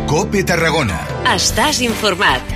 COPE Tarragona. Estàs informat.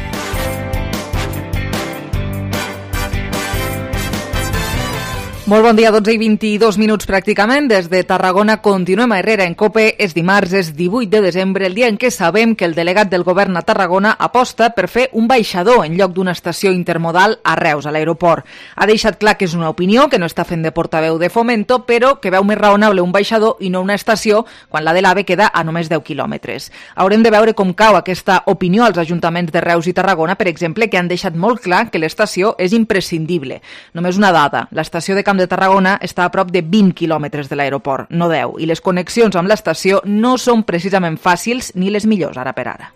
Molt bon dia, 12 i 22 minuts pràcticament. Des de Tarragona continuem a Herrera en COPE. És dimarts, és 18 de desembre, el dia en què sabem que el delegat del govern a Tarragona aposta per fer un baixador en lloc d'una estació intermodal a Reus, a l'aeroport. Ha deixat clar que és una opinió, que no està fent de portaveu de Fomento, però que veu més raonable un baixador i no una estació quan la de l'AVE queda a només 10 quilòmetres. Haurem de veure com cau aquesta opinió als ajuntaments de Reus i Tarragona, per exemple, que han deixat molt clar que l'estació és imprescindible. Només una dada, l'estació de Camp de Tarragona està a prop de 20 quilòmetres de l'aeroport, no 10, i les connexions amb l'estació no són precisament fàcils ni les millors ara per ara.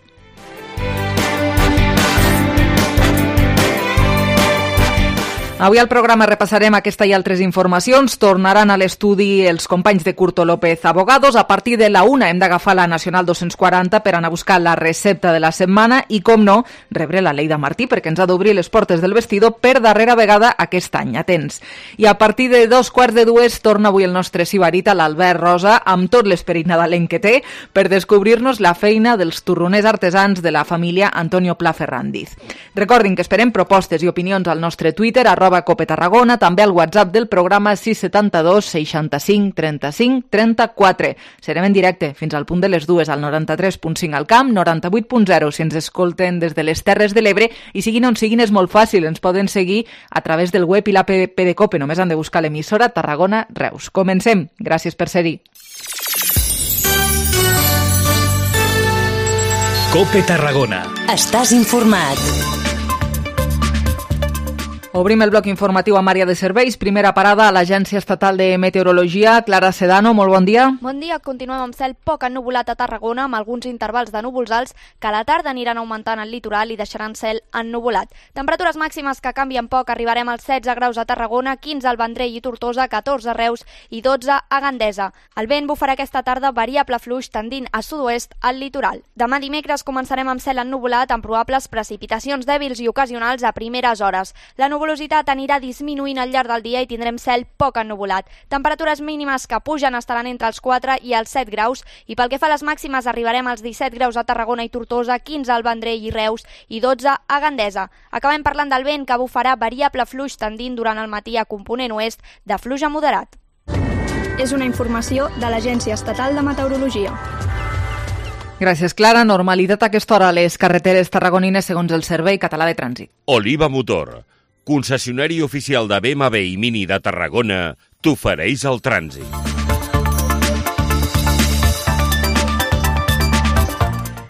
Avui al programa repassarem aquesta i altres informacions. Tornaran a l'estudi els companys de Curto López Abogados. A partir de la 1 hem d'agafar la Nacional 240 per anar a buscar la recepta de la setmana i, com no, rebre la Leida Martí perquè ens ha d'obrir les portes del vestidor per darrera vegada aquest any. Atents. I a partir de 2:15 torna avui el nostre sibarita, l'Albert Rosa, amb tot l'esperit nadalenc que té per descobrir-nos la feina dels torroners artesans de la família Antonio Pla Ferrandiz. Recordin que esperem propostes i opinions al nostre Twitter, @COPE Tarragona, també al WhatsApp del programa 672 65 35 34. Serem en directe fins al punt de les 2 al 93.5 al Camp, 98.0 si ens escolten des de les Terres de l'Ebre, i siguin on siguin és molt fàcil, ens poden seguir a través del web i l'app de COPE, només han de buscar l'emissora Tarragona Reus. Comencem, gràcies per ser-hi. COPE Tarragona. Estàs informat. Obrim el bloc informatiu amb àrea de serveis. Primera parada a l'Agència Estatal de Meteorologia. Clara Sedano, molt bon dia. Bon dia. Continuem amb cel poc ennuvolat a Tarragona, amb alguns intervals de núvols alts que a la tarda aniran augmentant al litoral i deixaran cel ennuvolat. Temperatures màximes que canvien poc. Arribarem als 16 graus a Tarragona, 15 al Vendrell i Tortosa, 14 a Reus i 12 a Gandesa. El vent bufarà aquesta tarda variable fluix tendint a sud-oest al litoral. Demà dimecres començarem amb cel ennuvolat amb probables precipitacions dèbils i ocasionals a primeres hores. La nuvolositat anirà disminuint al llarg del dia i tindrem cel poc ennuvolat. Temperatures mínimes que pugen estaran entre els 4 i els 7 graus i pel que fa a les màximes arribarem als 17 graus a Tarragona i Tortosa, 15 al Vendrell i Reus i 12 a Gandesa. Acabem parlant del vent que bufarà variable fluix tendint durant el matí a component oest de fluix a moderat. És una informació de l'Agència Estatal de Meteorologia. Gràcies, Clara. Normalitat a aquesta hora a les carreteres tarragonines segons el Servei Català de Trànsit. Oliva Motor, concessionari oficial de BMW i Mini de Tarragona, t'ofereix el trànsit.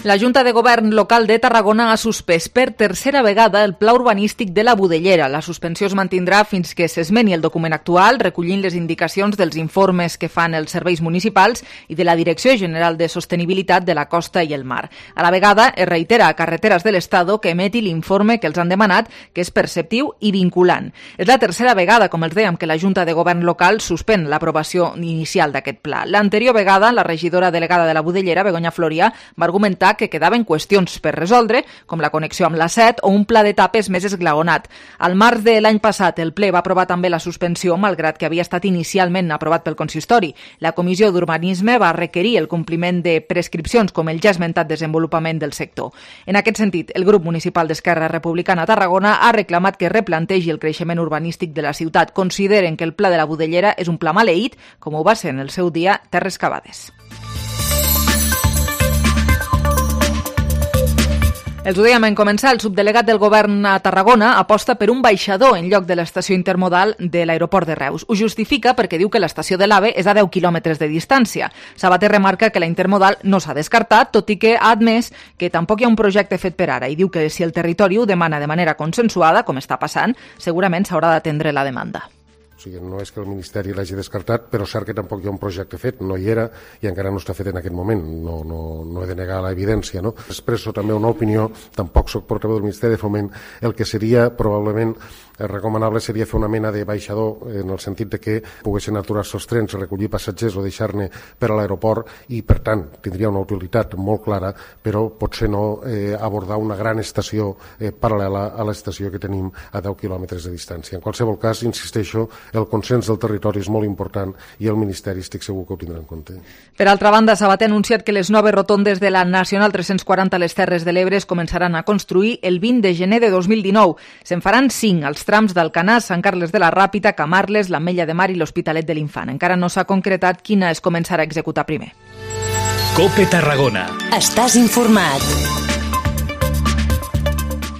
La Junta de Govern Local de Tarragona ha suspès per tercera vegada el pla urbanístic de la Budellera. La suspensió es mantindrà fins que s'esmeni el document actual, recollint les indicacions dels informes que fan els serveis municipals i de la Direcció General de Sostenibilitat de la Costa i el Mar. A la vegada, es reitera a Carreteres de l'Estado que emeti l'informe que els han demanat, que és perceptiu i vinculant. És la tercera vegada, com els dèiem, que la Junta de Govern Local suspèn l'aprovació inicial d'aquest pla. L'anterior vegada, la regidora delegada de la Budellera, Begoña Floria, va argumentar que quedaven qüestions per resoldre, com la connexió amb la 7 o un pla d'etapes més esglaonat. Al març de l'any passat, el ple va aprovar també la suspensió, malgrat que havia estat inicialment aprovat pel consistori. La Comissió d'Urbanisme va requerir el compliment de prescripcions, com el ja esmentat desenvolupament del sector. En aquest sentit, el grup municipal d'Esquerra Republicana a Tarragona ha reclamat que replantegi el creixement urbanístic de la ciutat. Consideren que el pla de la Budellera és un pla maleït, com ho va ser en el seu dia Terres Cavades. Els ho dèiem en començar, el subdelegat del govern a Tarragona aposta per un baixador en lloc de l'estació intermodal de l'aeroport de Reus. Ho justifica perquè diu que l'estació de l'AVE és a 10 quilòmetres de distància. Sabater remarca que la intermodal no s'ha descartat, tot i que ha admès que tampoc hi ha un projecte fet per ara i diu que si el territori ho demana de manera consensuada, com està passant, segurament s'haurà d'atendre la demanda. O sigui, no és que el Ministeri l'hagi descartat, però cert que tampoc hi ha un projecte fet, no hi era i encara no està fet en aquest moment, no he de negar l'evidència, no? Expresso també una opinió, tampoc soc portaveu del Ministeri de Foment, el que seria probablement recomanable seria fer una mena de baixador en el sentit de que poguessin aturar-se els trens, recollir passatgers o deixar-ne per a l'aeroport i, per tant, tindria una utilitat molt clara, però potser no abordar una gran estació paral·lela a l'estació que tenim a 10 quilòmetres de distància. En qualsevol cas, insisteixo el consens del territori és molt important i el Ministeri estic segur que ho tindrà en compte. Per altra banda, Sabater ha anunciat que les noves rotondes de la Nacional 340 a les Terres de l'Ebre es començaran a construir el 20 de gener de 2019. Se'n faran 5 als trams d'Alcanar, Sant Carles de la Ràpita, Camarles, l'Ametlla de Mar i l'Hospitalet de l'Infant. Encara no s'ha concretat quina es començarà a executar primer. COPE Tarragona. Estàs informat.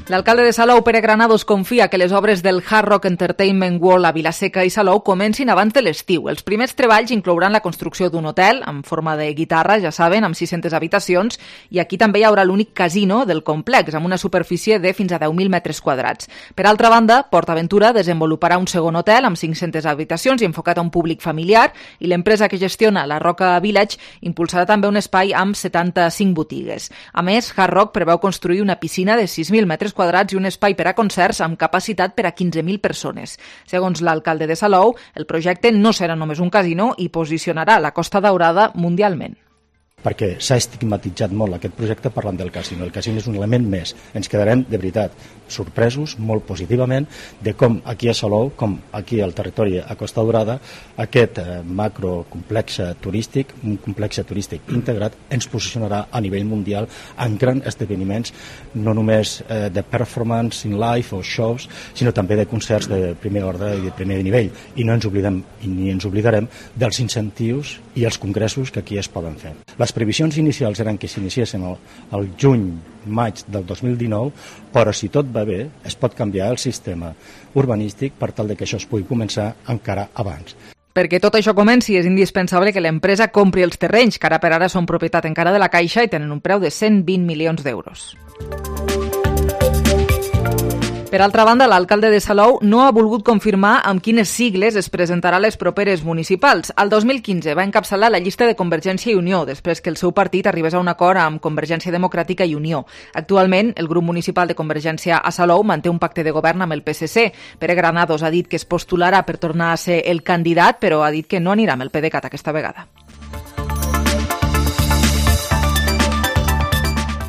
L'alcalde de Salou, Pere Granados, confia que les obres del Hard Rock Entertainment World a Vilaseca i Salou comencin abans de l'estiu. Els primers treballs inclouran la construcció d'un hotel en forma de guitarra, ja saben, amb 600 habitacions, i aquí també hi haurà l'únic casino del complex, amb una superfície de fins a 10.000 metres quadrats. Per altra banda, PortAventura desenvoluparà un segon hotel amb 500 habitacions i enfocat a un públic familiar, i l'empresa que gestiona la Roca Village impulsarà també un espai amb 75 botigues. A més, Hard Rock preveu construir una piscina de 6.000 metres quadrats i un espai per a concerts amb capacitat per a 15.000 persones. Segons l'alcalde de Salou, el projecte no serà només un casino i posicionarà la Costa Daurada mundialment. Perquè s'ha estigmatitzat molt aquest projecte parlant del casino. El casino és un element més. Ens quedarem, de veritat, sorpresos molt positivament de com aquí a Salou, com aquí al territori a Costa Daurada, aquest macrocomplex turístic, un complex turístic integrat, ens posicionarà a nivell mundial en grans esdeveniments, no només de performance in live o shows, sinó també de concerts de primer ordre i de primer nivell. I no ens oblidem ni ens oblidarem dels incentius i els congressos que aquí es poden fer. Les previsions inicials eren que s'iniciessin el juny-maig del 2019, però si tot va bé, es pot canviar el sistema urbanístic per tal que això es pugui començar encara abans. Perquè tot això comenci és indispensable que l'empresa compri els terrenys, que ara per ara són propietat encara de la Caixa i tenen un preu de 120 milions d'euros. Per altra banda, l'alcalde de Salou no ha volgut confirmar amb quines sigles es presentarà les properes municipals. El 2015 va encapçalar la llista de Convergència i Unió, després que el seu partit arribés a un acord amb Convergència Democràtica i Unió. Actualment, el grup municipal de Convergència a Salou manté un pacte de govern amb el PSC. Pere Granados ha dit que es postularà per tornar a ser el candidat, però ha dit que no anirà amb el PDeCAT aquesta vegada.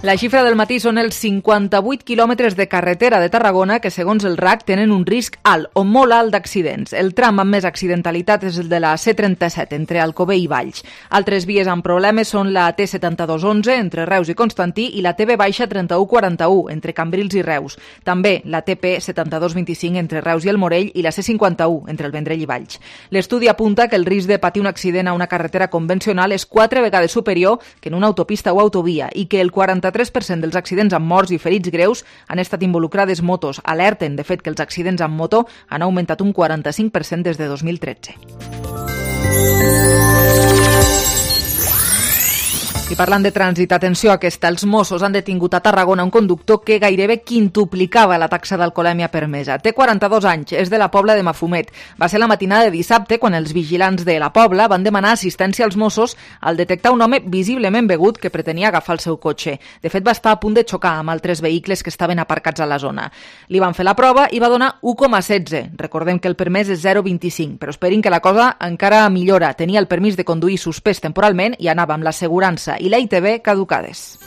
La xifra del matí són els 58 quilòmetres de carretera de Tarragona que, segons el RAC, tenen un risc alt o molt alt d'accidents. El tram amb més accidentalitat és el de la C37, entre Alcover i Valls. Altres vies amb problemes són la T7211, entre Reus i Constantí, i la TB-3141, entre Cambrils i Reus. També la TP7225, entre Reus i el Morell, i la C51, entre el Vendrell i Valls. L'estudi apunta que el risc de patir un accident a una carretera convencional és 4 vegades superior que en una autopista o autovia i que el 43% dels accidents amb morts i ferits greus han estat involucrades motos. Alerten, de fet, que els accidents amb moto han augmentat un 45% des de 2013. I parlant de trànsit, atenció a aquesta. Els Mossos han detingut a Tarragona un conductor que gairebé quintuplicava la taxa d'alcoholèmia permesa. Té 42 anys, és de la Pobla de Mafumet. Va ser la matinada de dissabte quan els vigilants de la Pobla van demanar assistència als Mossos al detectar un home visiblement begut que pretenia agafar el seu cotxe. De fet, va estar a punt de xocar amb altres vehicles que estaven aparcats a la zona. Li van fer la prova i va donar 1,16. Recordem que el permès és 0,25, però esperin que la cosa encara millora. Tenia el permís de conduir suspès temporalment i anava amb l'assegurança i la ITV caducades.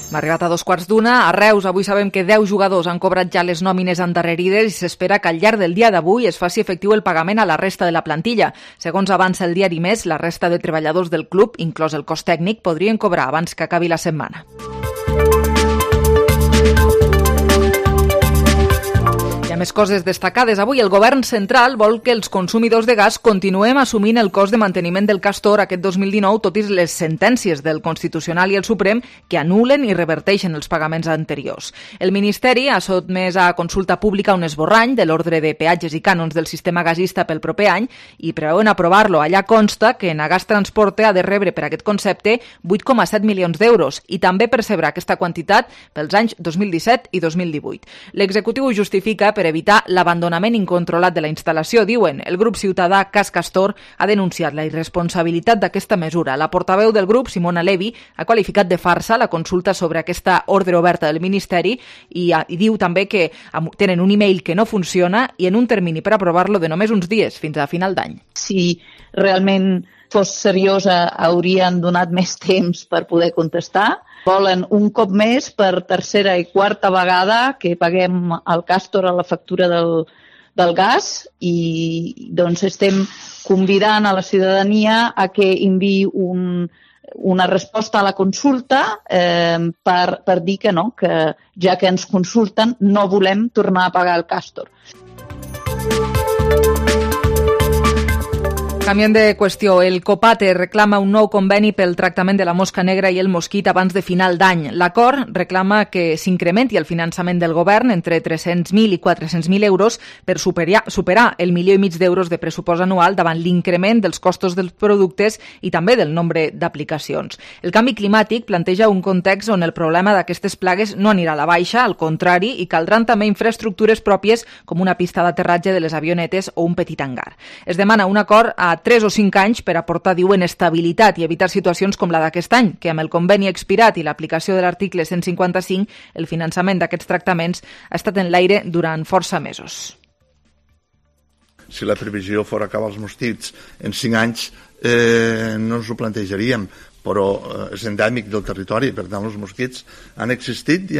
Hem arribat a 2:15. A Reus avui sabem que 10 jugadors han cobrat ja les nòmines endarrerides i s'espera que al llarg del dia d'avui es faci efectiu el pagament a la resta de la plantilla. Segons avança el diari Més, la resta de treballadors del club, inclòs el cos tècnic, podrien cobrar abans que acabi la setmana. Hi ha més coses destacades. Avui el govern central vol que els consumidors de gas continuem assumint el cost de manteniment del Castor aquest 2019, tot i les sentències del Constitucional i el Suprem que anulen i reverteixen els pagaments anteriors. El Ministeri ha sotmès a consulta pública un esborrany de l'ordre de peatges i cànons del sistema gasista pel proper any i preveuen aprovar-lo. Allà consta que Nagas Transporte ha de rebre per aquest concepte 8,7 milions d'euros i també percebrà aquesta quantitat pels anys 2017 i 2018. L'executiu ho justifica per evitar l'abandonament incontrolat de la instal·lació, diuen. El grup ciutadà Cas Castor ha denunciat la irresponsabilitat d'aquesta mesura. La portaveu del grup, Simona Levi, ha qualificat de farsa la consulta sobre aquesta ordre oberta del Ministeri i diu també que tenen un e-mail que no funciona i en un termini per aprovar-lo de només uns dies, fins a final d'any. Si realment fos seriosa, haurien donat més temps per poder contestar. Volen un cop més per tercera i quarta vegada que paguem al Castor a la factura del gas i doncs estem convidant a la ciutadania a que enviï una resposta a la consulta per dir que no, que ja que ens consulten no volem tornar a pagar el Castor. Canviem de qüestió. El Copate reclama un nou conveni pel tractament de la mosca negra i el mosquit abans de final d'any. L'acord reclama que s'incrementi el finançament del govern entre 300.000 i 400.000 euros per superar el 1,5 milió d'euros de pressupost anual davant l'increment dels costos dels productes i també del nombre d'aplicacions. El canvi climàtic planteja un context on el problema d'aquestes plagues no anirà a la baixa, al contrari, i caldran també infraestructures pròpies com una pista d'aterratge de les avionetes o un petit hangar. Es demana un acord a 3 o 5 anys per aportar, diuen, estabilitat i evitar situacions com la d'aquest any, que amb el conveni expirat i l'aplicació de l'article 155, el finançament d'aquests tractaments ha estat en l'aire durant força mesos. Si la previsió fos acabar els mosquits en 5 anys, no ens ho plantejaríem, però és endèmic del territori, per tant els mosquits han existit i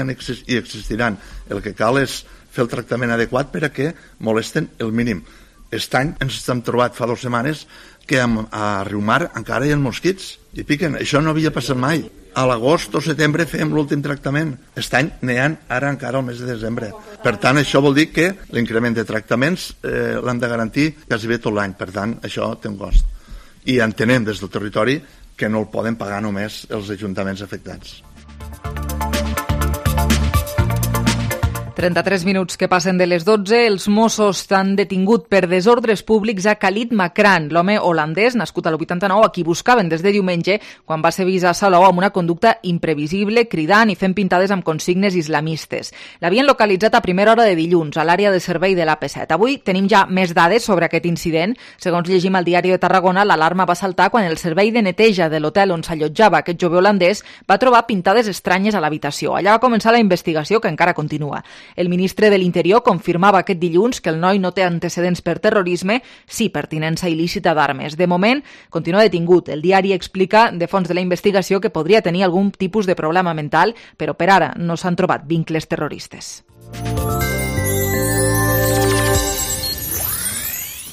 existiran. El que cal és fer el tractament adequat per a que molesten el mínim. Aquest any ens hem trobat fa 2 setmanes que a Riumar encara hi ha mosquits i piquen. Això no havia passat mai. A l'agost o setembre fèiem l'últim tractament. Aquest any n'hi ha ara encara al mes de desembre. Per tant, això vol dir que l'increment de tractaments l'han de garantir quasi bé tot l'any. Per tant, això té un cost. I entenem des del territori que no el poden pagar només els ajuntaments afectats. 33 minuts que passen de les 12. Els Mossos han detingut per desordres públics a Khalid Makran, l'home holandès nascut a l'89, a qui buscaven des de diumenge quan va ser vist a Salou amb una conducta imprevisible, cridant i fent pintades amb consignes islamistes. L'havien localitzat a primera hora de dilluns a l'àrea de servei de l'AP7. Avui tenim ja més dades sobre aquest incident. Segons llegim al Diari de Tarragona, l'alarma va saltar quan el servei de neteja de l'hotel on s'allotjava aquest jove holandès va trobar pintades estranyes a l'habitació. Allà va començar la investigació, que encara continua. El ministre de l'Interior confirmava aquest dilluns que el noi no té antecedents per terrorisme, sí per tinença il·lícita d'armes. De moment, continua detingut. El diari explica de fons de la investigació que podria tenir algun tipus de problema mental, però per ara no s'han trobat vincles terroristes.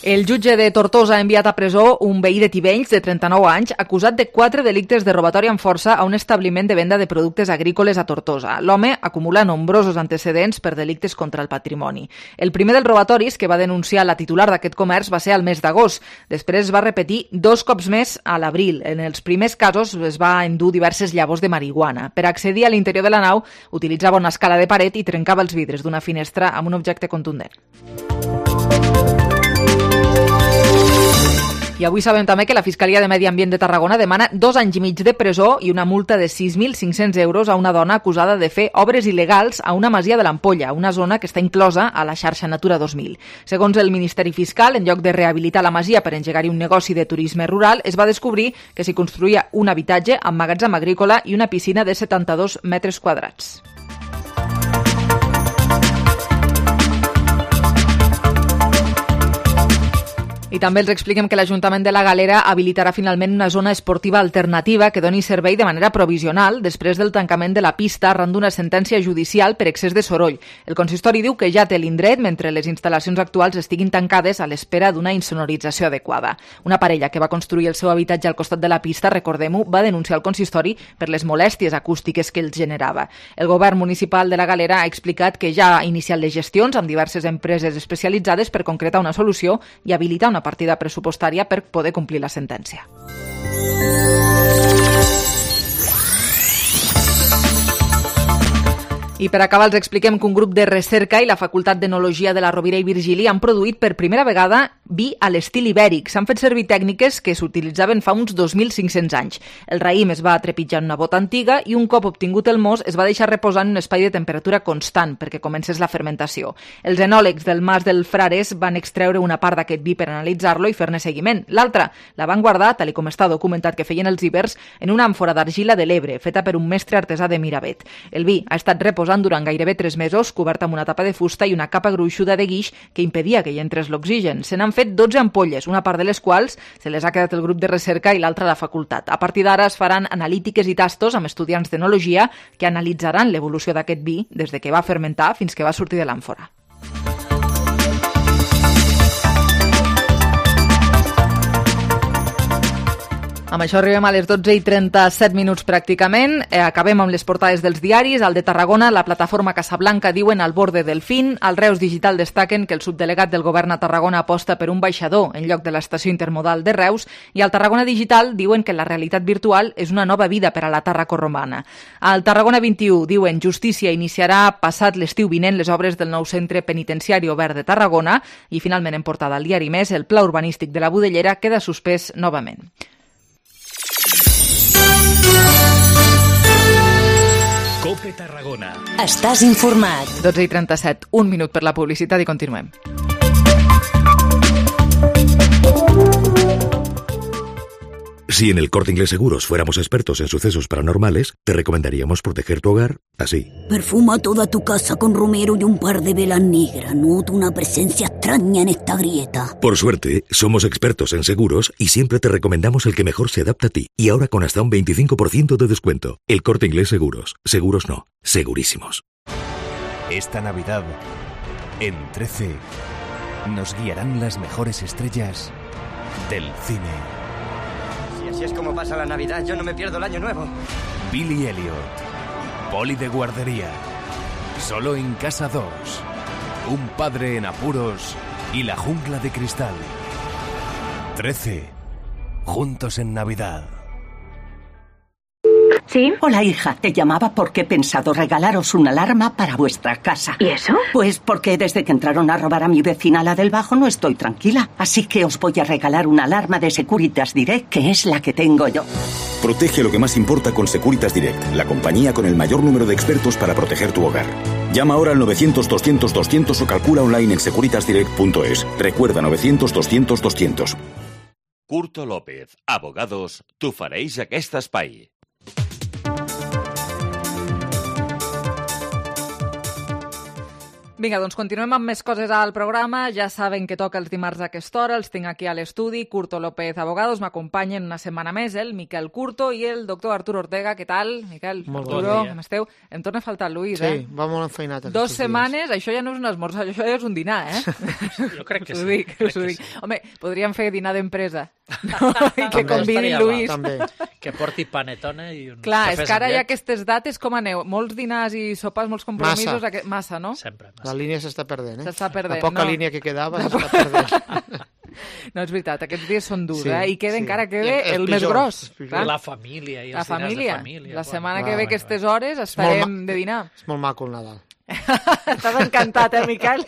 El jutge de Tortosa ha enviat a presó un veí de Tivenys de 39 anys acusat de 4 delictes de robatori amb força a un establiment de venda de productes agrícoles a Tortosa. L'home acumula nombrosos antecedents per delictes contra el patrimoni. El primer dels robatoris que va denunciar la titular d'aquest comerç va ser al mes d'agost. Després es va repetir 2 cops més a l'abril. En els primers casos es va endur diverses llavors de marihuana. Per accedir a l'interior de la nau utilitzava una escala de paret i trencava els vidres d'una finestra amb un objecte contundent. I avui sabem també que la Fiscalia de Medi Ambient de Tarragona demana 2 anys i mig de presó i una multa de 6.500 euros a una dona acusada de fer obres il·legals a una masia de l'Ampolla, una zona que està inclosa a la xarxa Natura 2000. Segons el Ministeri Fiscal, en lloc de rehabilitar la masia per engegar-hi un negoci de turisme rural, es va descobrir que s'hi construïa un habitatge amb magatzem agrícola i una piscina de 72 metres quadrats. I també els expliquem que l'Ajuntament de la Galera habilitarà finalment una zona esportiva alternativa que doni servei de manera provisional després del tancament de la pista arran d'una sentència judicial per excés de soroll. El consistori diu que ja té l'indret mentre les instal·lacions actuals estiguin tancades a l'espera d'una insonorització adequada. Una parella que va construir el seu habitatge al costat de la pista, recordem-ho, va denunciar el consistori per les molèsties acústiques que els generava. El govern municipal de la Galera ha explicat que ja ha iniciat les gestions amb diverses empreses especialitzades per concretar una solució i habilitar una partida pressupostària per poder complir la sentència. I per acabar els expliquem que un grup de recerca i la Facultat d'Enologia de la Rovira i Virgili han produït per primera vegada vi a l'estil ibèric. S'han fet servir tècniques que s'utilitzaven fa uns 2.500 anys. El raïm es va trepitjar en una bota antiga i un cop obtingut el mos es va deixar reposar en un espai de temperatura constant perquè comencés la fermentació. Els enòlegs del Mas del Frares van extreure una part d'aquest vi per analitzar-lo i fer-ne seguiment. L'altra la van guardar, tal com està documentat que feien els ibers, en una àmfora d'argila de l'Ebre, feta per un mestre artesà de Miravet. El vi ha estat reposat reposant durant gairebé 3 mesos, cobert amb una tapa de fusta i una capa gruixuda de guix que impedia que hi entrés l'oxigen. Se n'han fet 12 ampolles, una part de les quals se les ha quedat el grup de recerca i l'altra la facultat. A partir d'ara es faran analítiques i tastos amb estudiants d'enologia que analitzaran l'evolució d'aquest vi des de que va fermentar fins que va sortir de l'àmfora. Amb això arribem a les 12:37 pràcticament. Acabem amb les portades dels diaris. Al de Tarragona, la plataforma Casablanca diuen al borde del fin. Al Reus Digital destaquen que el subdelegat del govern a Tarragona aposta per un baixador en lloc de l'estació intermodal de Reus. I al Tarragona Digital diuen que la realitat virtual és una nova vida per a la Tarraco-romana. Al Tarragona 21 diuen justícia iniciarà passat l'estiu vinent les obres del nou centre penitenciari obert de Tarragona. I finalment en portada al diari Més, el pla urbanístic de la Budellera queda suspès novament. COPE Tarragona. Estàs informat. 12:37, un minut per la publicitat i continuem. Si en el Corte Inglés Seguros fuéramos expertos en sucesos paranormales, te recomendaríamos proteger tu hogar así. Perfuma toda tu casa con romero y un par de velas negras. Noto una presencia extraña en esta grieta. Por suerte, somos expertos en seguros y siempre te recomendamos el que mejor se adapta a ti. Y ahora con hasta un 25% de descuento. El Corte Inglés Seguros. Seguros no. Segurísimos. Esta Navidad, en 13, nos guiarán las mejores estrellas del cine. Así es como pasa la Navidad, yo no me pierdo el Año Nuevo. Billy Elliot, Poli de guardería, Solo en Casa 2, Un padre en apuros y La jungla de cristal. 13, juntos en Navidad. ¿Sí? Hola, hija. Te llamaba porque he pensado regalaros una alarma para vuestra casa. ¿Y eso? Pues porque desde que entraron a robar a mi vecina, la del Bajo, no estoy tranquila. Así que os voy a regalar una alarma de Securitas Direct, que es la que tengo yo. Protege lo que más importa con Securitas Direct, la compañía con el mayor número de expertos para proteger tu hogar. Llama ahora al 900-200-200 o calcula online en securitasdirect.es. Recuerda, 900-200-200. Curto López, abogados, t'ofereix aquest espai. Vinga, doncs continuem amb més coses al programa. Ja saben que toca els dimarts a aquesta hora. Els tinc aquí a l'estudi. Curto López, abogados. M'acompanyen una setmana més el Miquel Curto i el doctor Arturo Ortega. Què tal, Miquel? Molt Arturo, bon dia. com esteu? Em torna a faltar el Luis, Sí, va molt enfeinat. 2 setmanes, això ja no és un esmorzar, això ja és un dinar, Jo crec que us sí. ho dic, us ho dic. Home, podríem fer dinar d'empresa. No? I que convidi Luis. Que porti panetone i un Clar, és cafès que ara amb hi ha llet. aquestes dates, com aneu? Molts dinars i sopars, molts compromisos. Massa, no? Sempre. La línia s'està perdent, eh? S'està perdent, La poca no. línia que quedava s'està perdent. No, és veritat, aquests dies són durs, Sí, I queda sí. encara I queda els el més pitjors, gros. els pitjors. clar. La família i els La dinars de família. família, La quan- setmana que Clar, ve, aquestes hores, estarem de dinar. És molt maco el Nadal. Estàs encantat, Miquel?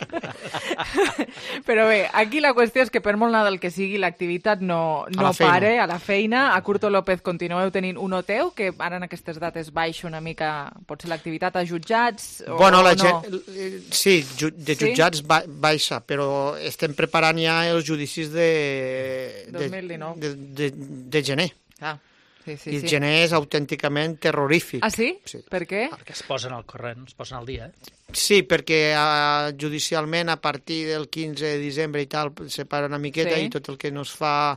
Però bé, aquí la qüestió és que per molt Nadal que sigui, l'activitat no la feina. pare a la feina. A Curto López continueu tenint un hotel, que ara en aquestes dates baixa una mica, potser l'activitat a jutjats o Bueno, la no? gent, sí, de Sí? jutjats baixa, però estem preparant ja els judicis de 2019. de gener. Ah, sí, sí, I el sí. gener és autènticament terrorífic. Ah, sí? Per què? Perquè es posen al corrent, es posen al dia, Sí, perquè judicialment a partir del 15 de desembre i tal se para una miqueta Sí. i tot el que no es fa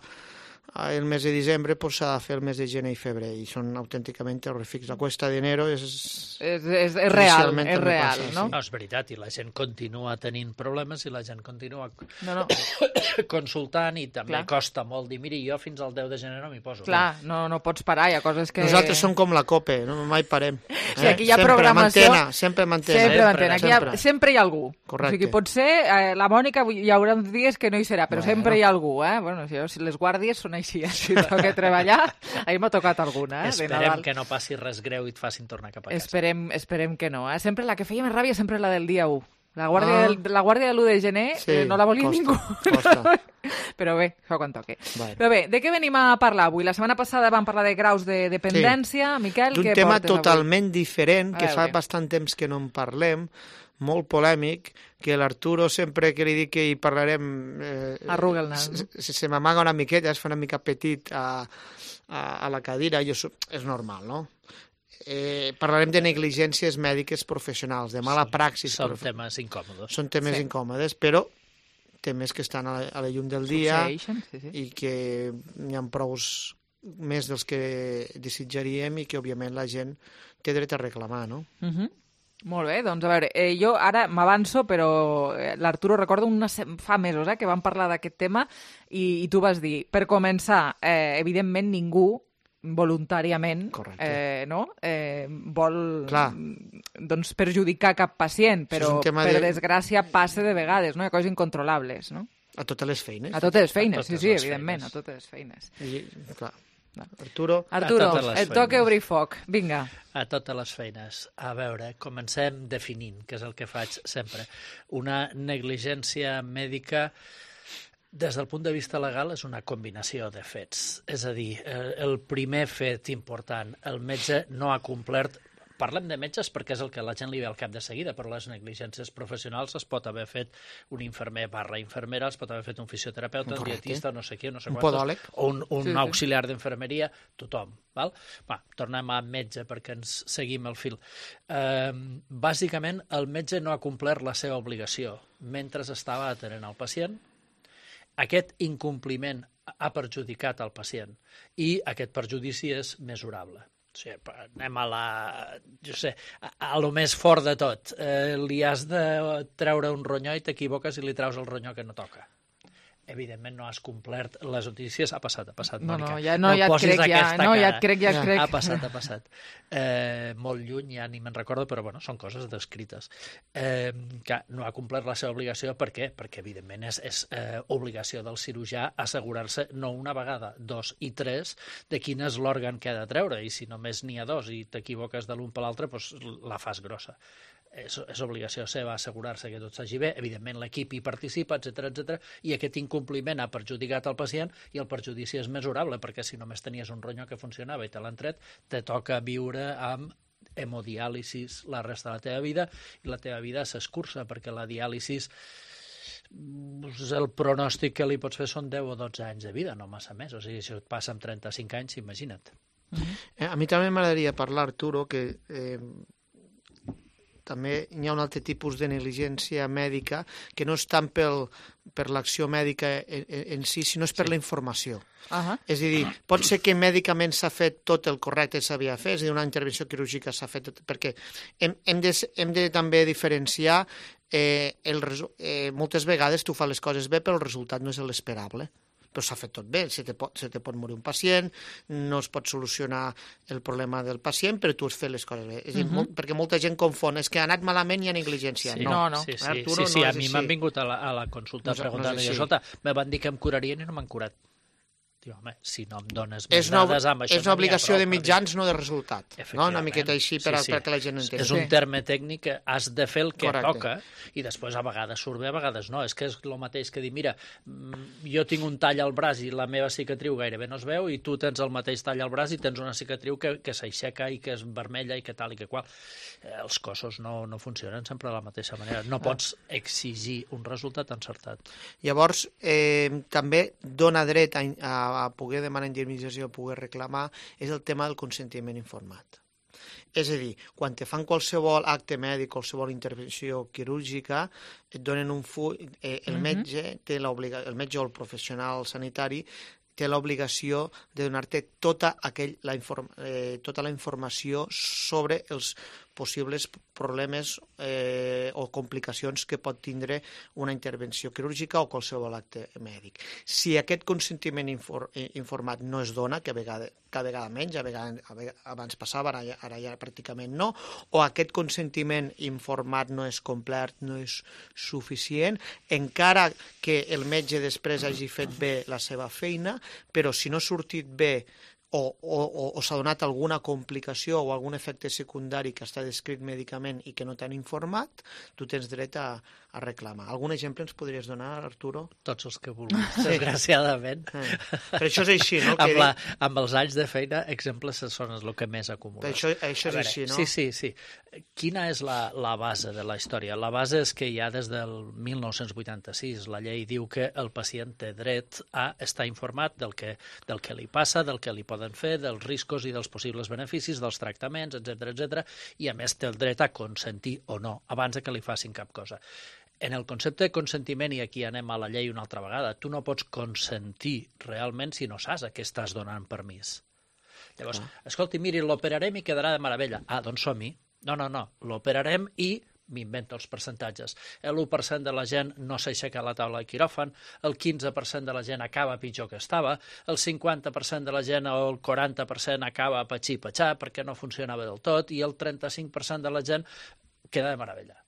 el mes de desembre pues s'ha de fer el mes de gener i febrer i són autènticament terrorífics. La cuesta d'enero és real, judicialment és també real, passa, no? sí. No, és veritat, i la gent continua tenint problemes i la gent continua No. consultant i també Clar. costa molt dir, miri, jo fins al 10 de gener no m'hi poso. Clar, no pots parar, hi ha coses que... Nosaltres som com la COPE, no? Mai parem. Sí, aquí hi ha Sempre programació... Sempre mantena. Sempre mantena. Aquí sempre hi ha algú. Correcte. O sigui, potser la Mònica hi haurà uns dies que no hi serà, però sempre hi ha algú, Bueno, si les guàrdies són així, si toca treballar, ahir m'ha tocat alguna, de Esperem Nadal. que no passi res greu i et facin tornar cap a casa. Esperem que no, Sempre la que feia més ràbia sempre la del dia 1. La guàrdia de l'1 de gener no la volia costa, ningú. costa. Però bé, això quan toqui. Vale. Però bé, de què venim a parlar avui? La setmana passada vam parlar de graus de dependència. Miquel, d'un què tema portes avui? totalment diferent, que A fa veure. bastant temps que no en parlem, molt polèmic, que l'Arturo sempre que li dic que hi parlarem... Arruga el nas, no? Se m'amaga una miqueta, es fa una mica petit a la cadira, és normal, no? parlarem de negligències mèdiques professionals, de mala praxis. Són temes incòmodes. Són temes incòmodes, però temes que estan a la llum del dia i que n'hi ha prous més dels que desitjaríem i que, òbviament, la gent té dret a reclamar, no? Molt bé, doncs a veure, jo ara m'avanço, però l'Arturo recordo fa mesos que vam parlar d'aquest tema i tu vas dir, per començar, evidentment ningú voluntàriament vol doncs, perjudicar cap pacient, però per desgràcia passa de vegades, no? Hi ha coses incontrolables, no? A totes les feines. A totes les feines, sí, evidentment, a totes les feines. Clar. Arturo, et toca obrir foc. Vinga. A totes les feines. A veure, comencem definint, que és el que faig sempre. Una negligència mèdica, des del punt de vista legal, és una combinació de fets. És a dir, el primer fet important, el metge no ha complert. Parlem de metges perquè és el que la gent li ve al cap de seguida, però les negligències professionals es pot haver fet un infermer / infermera, es pot haver fet un fisioterapeuta, un dietista, no sé qui, no sé quantos, podòleg, o un auxiliar d'infermeria, tothom. Val? Va, tornem a metge perquè ens seguim el fil. Bàsicament, el metge no ha complert la seva obligació mentre estava atenent el pacient. Aquest incompliment ha perjudicat el pacient i aquest perjudici és mesurable. O sigui, anem a lo més fort de tot. Li has de treure un ronyó i t'equivoques i li treus el ronyó que no toca. Evidentment no has complert les notícies. Ha passat, Mònica. Ja et crec. Ha passat. Molt lluny, ja ni me'n recordo, però bueno, són coses descrites. Que no ha complert la seva obligació, per què? Perquè evidentment és obligació del cirurgià assegurar-se no una vegada, 2 i 3 de quin és l'òrgan que ha de treure, i si només n'hi ha 2 i t'equivoques de l'un per l'altre, doncs la fas grossa. És obligació seva assegurar-se que tot s'hagi bé, evidentment l'equip hi participa, etc, i aquest incompliment ha perjudicat el pacient i el perjudici és mesurable, perquè si només tenies un ronyó que funcionava i te l'han tret, te toca viure amb hemodiàlisis la resta de la teva vida, i la teva vida s'escurça, perquè la diàlisis, el pronòstic que li pots fer són 10 o 12 anys de vida, no massa més. O sigui, si et passa amb 35 anys, imagina't. A mi també m'agradaria parlar, Arturo, que també hi ha un altre tipus de negligència mèdica que no és tant per l'acció mèdica en si, sinó és per la informació. És a dir, pot ser que mèdicament s'ha fet tot el correcte que s'havia fet, és a dir, una intervenció quirúrgica s'ha fet tot, perquè hem de també diferenciar, moltes vegades tu fas les coses bé però el resultat no és l'esperable. Però s'ha fet tot bé, se te pot morir un pacient, no es pot solucionar el problema del pacient, però tu has fet les coses bé. És a dir, perquè molta gent confon, és que ha anat malament i hi ha negligència. No. Sí, a mi m'han vingut a la consulta preguntant, escolta, me van dir que em curarien i no m'han curat. Home, si no em dones més dades amb això... És una obligació de mitjans, no de resultat. Una miqueta així perquè la gent entengui. És un terme tècnic que has de fer el que toca i després a vegades surt bé, a vegades no. És que és el mateix que dir, mira, jo tinc un tall al braç i la meva cicatriu gairebé no es veu i tu tens el mateix tall al braç i tens una cicatriu que s'aixeca i que és vermella i que tal i que qual. Els cossos no funcionen sempre de la mateixa manera. No pots exigir un resultat encertat. Llavors, també dona dret a poder demanar indemnització, a poder reclamar, és el tema del consentiment informat. És a dir, quan te fan qualsevol acte mèdic, qualsevol intervenció quirúrgica, et donen un full, el metge o el professional sanitari té l'obligació de donar-te tota la informació sobre els possibles problemes o complicacions que pot tindre una intervenció quirúrgica o qualsevol acte mèdic. Si aquest consentiment informat no es dona, que cada vegada menys, abans passava, ara ja pràcticament no, o aquest consentiment informat no és complet, no és suficient, encara que el metge després hagi fet bé la seva feina, però si no ha sortit bé o s'ha donat alguna complicació o algun efecte secundari que està descrit mèdicament i que no t'han informat, tu tens dret a a reclamar. Algun exemple ens podries donar, Arturo? Tots els que vulguis, desgraciadament. Però això és així, no? Amb els anys de feina, exemples són el que més acumules. Això és així, no? Sí. Quina és la base de la història? La base és que ja des del 1986 la llei diu que el pacient té dret a estar informat del que li passa, del que li poden fer, dels riscos i dels possibles beneficis, dels tractaments, etc. I a més té el dret a consentir o no, abans de que li facin cap cosa. En el concepte de consentiment, i aquí anem a la llei una altra vegada, tu no pots consentir realment si no saps a què estàs donant permís. Llavors, escolti, miri, l'operarem i quedarà de meravella. Doncs som-hi. No, l'operarem i m'invento els percentatges. L'1% de la gent no s'aixeca a la taula de quiròfan, el 15% de la gent acaba pitjor que estava, el 50% de la gent o el 40% acaba patxar perquè no funcionava del tot i el 35% de la gent queda de meravella.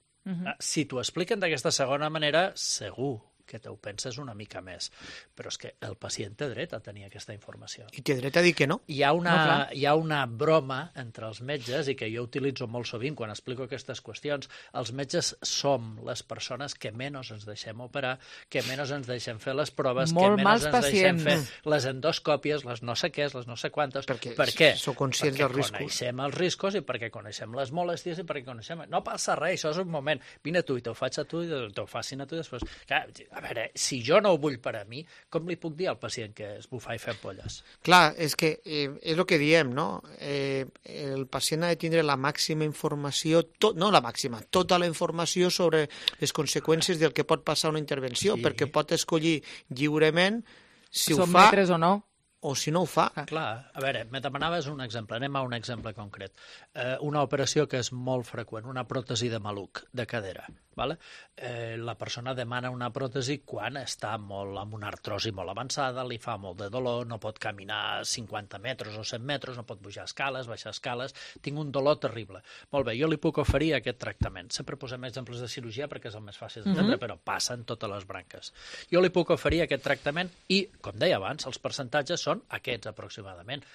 Si t'ho expliquen d'aquesta segona manera, segur que t'ho penses una mica més. Però és que el pacient té dret a tenir aquesta informació. I té dret a dir que no. Hi ha una broma entre els metges, i que jo utilitzo molt sovint quan explico aquestes qüestions. Els metges som les persones que menys ens deixem operar, que menys ens deixem fer les proves, que menys ens deixem fer les endoscòpies, les no sé què, les no sé quantes. Per què? Sou conscients dels riscos. Perquè coneixem els riscos i perquè coneixem les molèsties i perquè coneixem... No passa res, això és un moment. Vine tu i t'ho faig a tu i t'ho facin a tu i després... A veure, si jo no ho vull per a mi, com li puc dir al pacient que es bufa i fer polles? Clar, és que és el que diem, no? El pacient ha de tindre la màxima informació, no la màxima, tota la informació sobre les conseqüències del que pot passar una intervenció, perquè pot escollir lliurement si ho fa... Sotmetre's o no. O si no ho fa. Clar, a veure, me demanaves un exemple, anem a un exemple concret. Una operació que és molt freqüent, una pròtesi de maluc, de cadera. La persona demana una pròtesi quan està amb una artrosi molt avançada, li fa molt de dolor, no pot caminar 50 metres o 100 metres, no pot pujar escales, baixar escales, tinc un dolor terrible. Molt bé, jo li puc oferir aquest tractament. Sempre posem exemples de cirurgia perquè és el més fàcil d'entendre, però passa en totes les branques. Jo li puc oferir aquest tractament i, com deia abans, els percentatges són aquests aproximadament.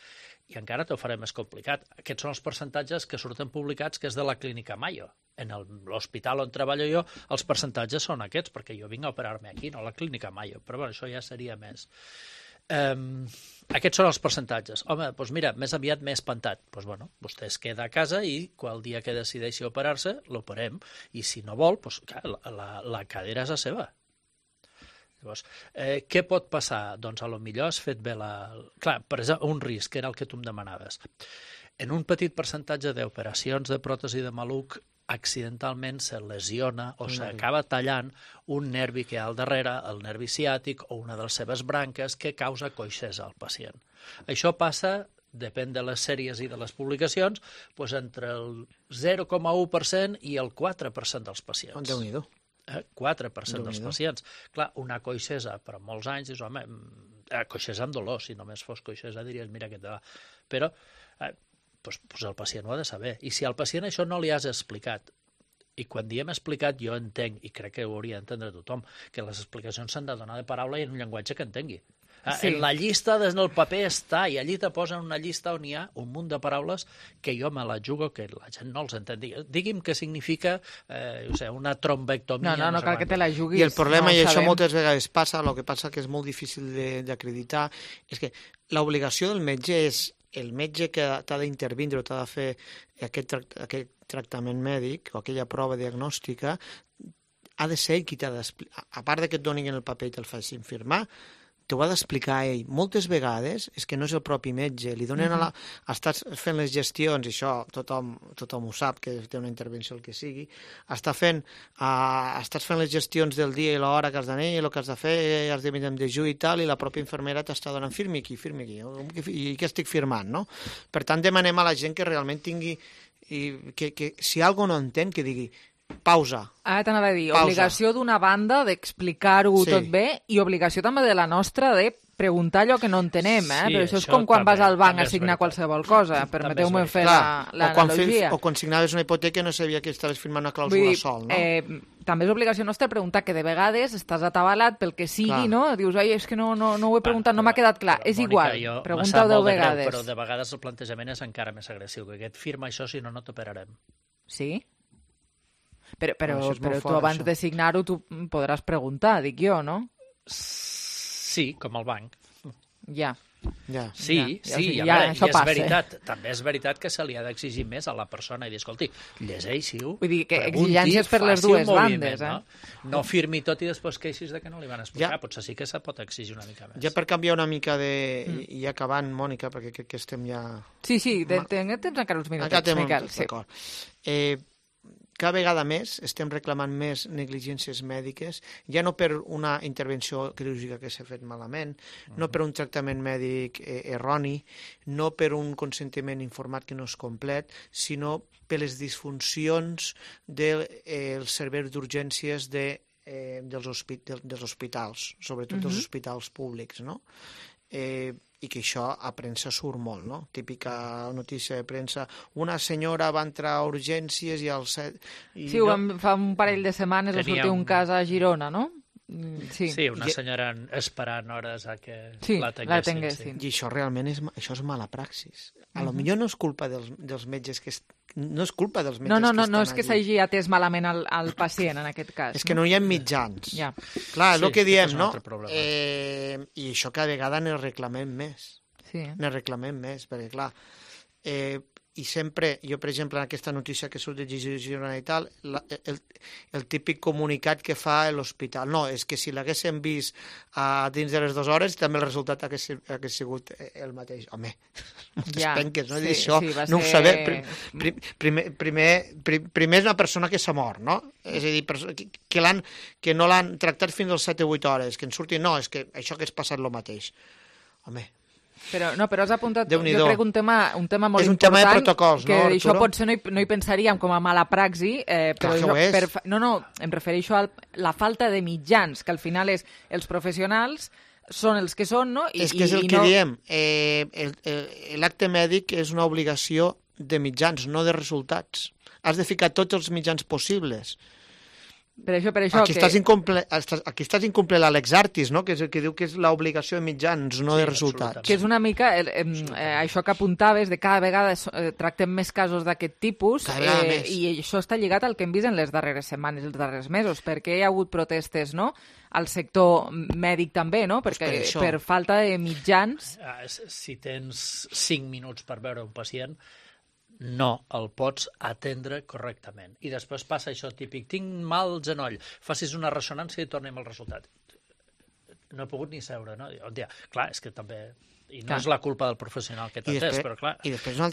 I encara t'ho faré més complicat. Aquests són els percentatges que surten publicats, que és de la Clínica Mayo. En l'hospital on treballo jo, els percentatges són aquests, perquè jo vinc a operar-me aquí, no a la Clínica Mayo. Però bueno, això ja seria més. Aquests són els percentatges. Home, doncs mira, més aviat m'he espantat. Doncs bueno, vostè es queda a casa i qual dia que decideixi operar-se, l'operem. I si no vol, doncs la cadera és la seva. Llavors, què pot passar? Doncs a lo millor has fet bé Clar, per exemple, un risc, que era el que tu em demanaves. En un petit percentatge d'operacions de pròtesi de maluc, accidentalment se lesiona o s'acaba tallant un nervi que hi ha al darrere, el nervi ciàtic o una de les seves branques, que causa coixesa al pacient. Això passa, depèn de les sèries i de les publicacions, doncs entre el 0,1% i el 4% dels pacients. Déu-n'hi-do. 4% dels pacients. Clar, una coixesa per molts anys, dius, home, coixesa amb dolor, si només fos coixesa diries, mira què te va. Però el pacient ho ha de saber. I si al pacient això no li has explicat, i quan diem explicat jo entenc, i crec que ho hauria d'entendre tothom, que les explicacions s'han de donar de paraula i en un llenguatge que entengui. En la llista des del paper està, i allí te posen una llista on hi ha un munt de paraules que jo me la jugo que la gent no els entén. Digui'm què significa una trombectomia. No cal que te la juguis. I el problema, i això moltes vegades passa, el que passa que és molt difícil d'acreditar, és que l'obligació del metge és el metge que t'ha d'intervindre o t'ha de fer aquest tractament mèdic o aquella prova diagnòstica, ha de ser ell qui t'ha d'explicar. A part que et donin el paper i te'l facin firmar, t'ho ha d'explicar ell. Moltes vegades és que no és el propi metge, li donen estàs fent les gestions, i això tothom ho sap, que té una intervenció el que sigui, estàs fent les gestions del dia i l'hora que has d'anar, el que has de fer, has de venir amb dejú i tal, i la pròpia infermera t'està donant firmi aquí, i què estic firmant, no? Per tant, demanem a la gent que realment tingui, que si algú no entén, que digui pausa. Ara t'anava a dir, obligació d'una banda d'explicar-ho tot bé i obligació també de la nostra de preguntar allò que no entenem, però això és com quan vas al banc a signar qualsevol cosa. Permeteu-me fer l'analogia. O quan signaves una hipoteca no sabia que estaves firmant una clàusula sol, no? També és obligació nostra preguntar, que de vegades estàs atabalat pel que sigui, no? Dius, és que no ho he preguntat, no m'ha quedat clar. És igual, pregunta-ho 10 vegades. Però de vegades el plantejament és encara més agressiu, que et firma això, si no t'operarem. Sí? Però tu abans de signar-ho tu podràs preguntar, dic jo, no? Sí, com el banc. Ja. Sí, i és veritat. També és veritat que se li ha d'exigir més a la persona i dir, escolti, llegeixi-ho, vull dir que exigències per les dues bandes, no firmi tot i després queixis de que no li van explicar, potser sí que se pot exigir una mica més. Ja per canviar una mica i acabant, Mònica, perquè crec que estem ja... Sí, tens encara uns minutets, Miquel. D'acord. Cada vegada més estem reclamant més negligències mèdiques, ja no per una intervenció quirúrgica que s'ha fet malament, no per un tractament mèdic erroni, no per un consentiment informat que no és complet, sinó per les disfuncions dels serveis d'urgències dels hospitals, sobretot dels hospitals públics, no? I que això a premsa surt molt, no? Típica notícia de premsa, una senyora va entrar a urgències i al set... Sí, fa un parell de setmanes va sortir un cas a Girona, no? Sí, una senyora esperant hores a que la tinguessin. I això realment és mala praxis. A lo millor no és culpa dels metges que no és culpa dels metges que estan allí. No és que s'hagi atès malament el pacient, en aquest cas. És que no hi ha mitjans. Clar, és el que diem, no? I això cada vegada ne reclamem més. Ne reclamem més, perquè clar... I sempre, jo per exemple en aquesta notícia que surt de Girona i tal, el típic comunicat que fa l'hospital, no, és que si l'haguéssim vist dins de les 2 hores també el resultat hagués sigut el mateix. Home, moltes penques, no? Això no ho sabem. Primer és una persona que s'ha mort, no? És a dir, que no l'han tractat fins als 7 o 8 hores, que en surti, no, és que això hagués passat el mateix. Home, però has apuntat, jo crec, un tema molt important. És un tema de protocols, no, Arturo? Que això potser no hi pensaríem com a mala praxi, però em refereixo a la falta de mitjans, que al final els professionals són els que són, no? És que és el que diem, l'acte mèdic és una obligació de mitjans, no de resultats. Has de ficar tots els mitjans possibles. Per això aquí estàs incomplent l'Alex Artis, no? Que és el que diu que és l'obligació de mitjans, no de resultats. Que és una mica això que apuntaves, de cada vegada tractem més casos d'aquest tipus, i això està lligat al que hem vist en les darreres setmanes, els darrers mesos, perquè hi ha hagut protestes, no?, al sector mèdic també, no?, perquè per falta de mitjans... Si tens 5 minuts per veure un pacient, no el pots atendre correctament. I després passa això típic, tinc mal genoll, facis una ressonància i tornem al resultat. No he pogut ni seure, no? Clar, és que també... I no és la culpa del professional que t'atès, però clar...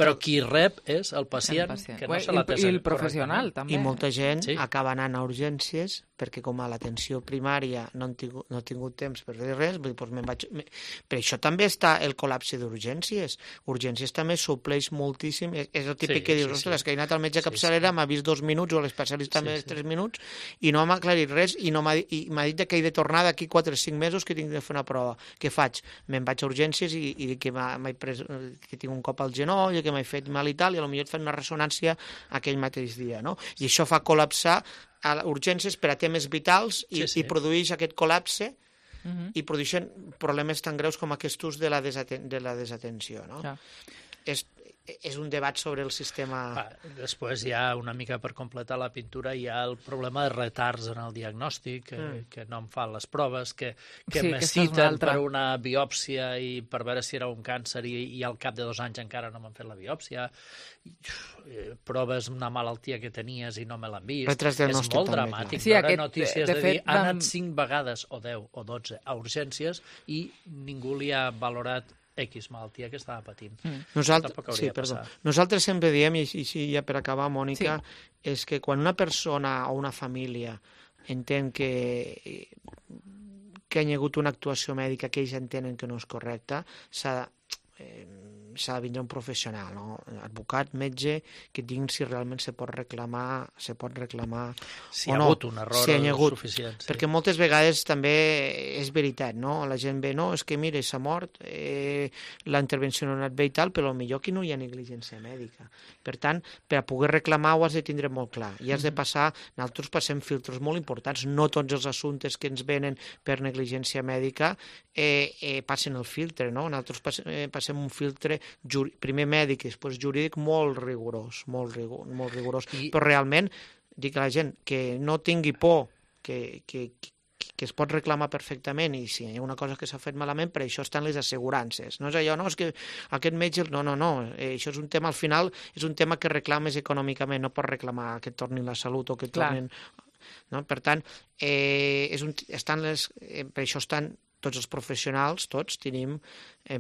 Però qui rep és el pacient que no se l'atès. I el professional, també. I molta gent acaba anant a urgències perquè com a l'atenció primària no ha tingut temps per fer res, per això també està el col·lapse d'urgències. Urgències també supleix moltíssim, és el típic que dius, ostres, que he anat al metge capçalera, m'ha vist 2 minuts, o l'especialista més 3 minuts, i no m'ha aclarit res, i m'ha dit que he de tornar d'aquí 4 o 5 mesos que tinc de fer una prova. Què faig? Me'n vaig a urgències i que que tinc un cop al genoll, que m'he fet mal i tal, i potser et fan una ressonància aquell mateix dia, no? I això fa col·lapsar a urgències per a temes vitals i produeix aquest col·lapse i produeixen problemes tan greus com aquests de la desatenció, no? És un debat sobre el sistema... Després hi ha, una mica per completar la pintura, hi ha el problema de retards en el diagnòstic, que no em fan les proves, que me citen per una biòpsia i per veure si era un càncer i al cap de 2 anys encara no m'han fet la biòpsia, proves una malaltia que tenies i no me l'han vist. És molt dramàtic veure notícies de dir ha anat 5 vegades o 10 o 12 a urgències i ningú li ha valorat X malaltia que estava patint. Nosaltres sempre diem, i ja per acabar, Mònica, és que quan una persona o una família entén que hi ha hagut una actuació mèdica que ells entenen que no és correcta, s'ha de vindre un professional, no? Advocat, metge, que diguin si realment se pot reclamar si hi ha hagut un error suficient. Perquè moltes vegades també és veritat, no? La gent ve, no, és que mira, s'ha mort, la intervenció no ha anat bé i tal, però potser aquí no hi ha negligència mèdica. Per tant, per a poder reclamar ho has de tindre molt clar. I has de passar, nosaltres passem filtres molt importants, no tots els assumptes que ens venen per negligència mèdica passen el filtre, no? Nosaltres passem un filtre primer mèdic i després jurídic molt rigorós, però realment dic a la gent que no tingui por, que es pot reclamar perfectament, i si hi ha una cosa que s'ha fet malament, per això estan les assegurances. No és allò, no, és que aquest metge... No, això és un tema, al final, és un tema que reclames econòmicament, no pots reclamar que et tornin la salut o que et tornin... No? Per tant, per això estan tots els professionals, tots tenim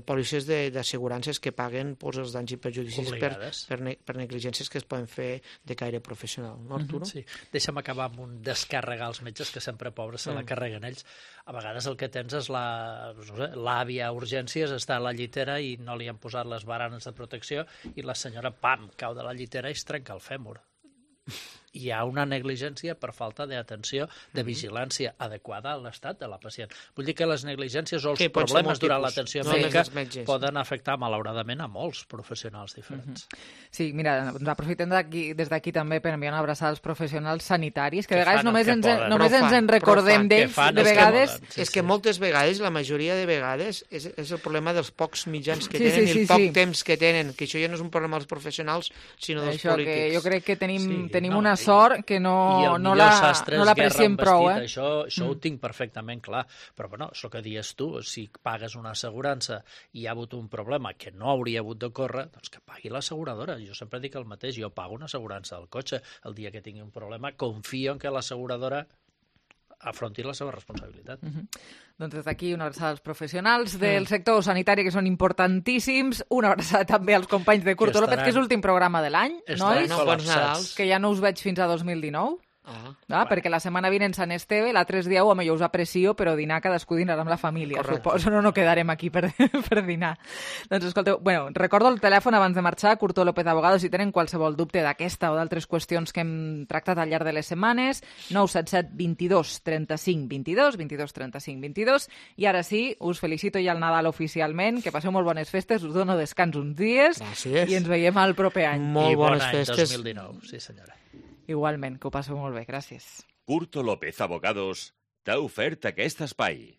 pòlisses d'assegurances que paguen els danys i perjudicis per negligències que es poden fer de caire professional. No, Arturo? Sí. Deixa'm acabar amb un descàrregar als metges, que sempre, pobres, se la carreguen ells. A vegades el que tens és l'àvia a urgències, està a la llitera i no li han posat les baranes de protecció i la senyora, pam, cau de la llitera i es trenca el fèmur. Hi ha una negligència per falta d'atenció, de vigilància adequada a l'estat de la pacient. Vull dir que les negligències o els problemes durant l'atenció mèdica poden afectar, malauradament, a molts professionals diferents. Sí, mira, aprofitem des d'aquí també per enviar una abraçada als professionals sanitaris, que a vegades només ens en recordem d'ells, de vegades. És que moltes vegades, la majoria de vegades, és el problema dels pocs mitjans que tenen i el poc temps que tenen, que això ja no és un problema dels professionals, sinó dels polítics. Jo crec que tenim una sort que no l'apreciem prou. Això ho tinc perfectament clar. Però, bueno, és el que dius tu, si pagues una assegurança i hi ha hagut un problema que no hauria hagut d'ocórrer, doncs que pagui l'asseguradora. Jo sempre dic el mateix, jo pago una assegurança del cotxe. El dia que tingui un problema, confio en que l'asseguradora afronti la seva responsabilitat. Doncs des d'aquí una abraçada als professionals del sector sanitari, que són importantíssims, una abraçada també als companys de Curto López, que és l'últim programa de l'any, nois? Que ja no us veig fins a 2019. Perquè la setmana vinent Sant Esteve, l'altre dia o millor us aprecio, però dinar cadascú dinarà amb la família, suposo, no quedarem aquí per dinar. Doncs escolteu, recordo el telèfon abans de marxar, Curto López Abogados, si tenen qualsevol dubte d'aquesta o d'altres qüestions que hem tractat al llarg de les setmanes, 977 22 35 22, 22 35 22, i ara sí, us felicito ja el Nadal oficialment, que passeu molt bones festes, us dono descans uns dies, i ens veiem al proper any. Molt bones festes. 2019, sí senyora. Igualment, que ho passeu molt bé, gràcies. Curto López Abogados t'ha ofert aquest espai.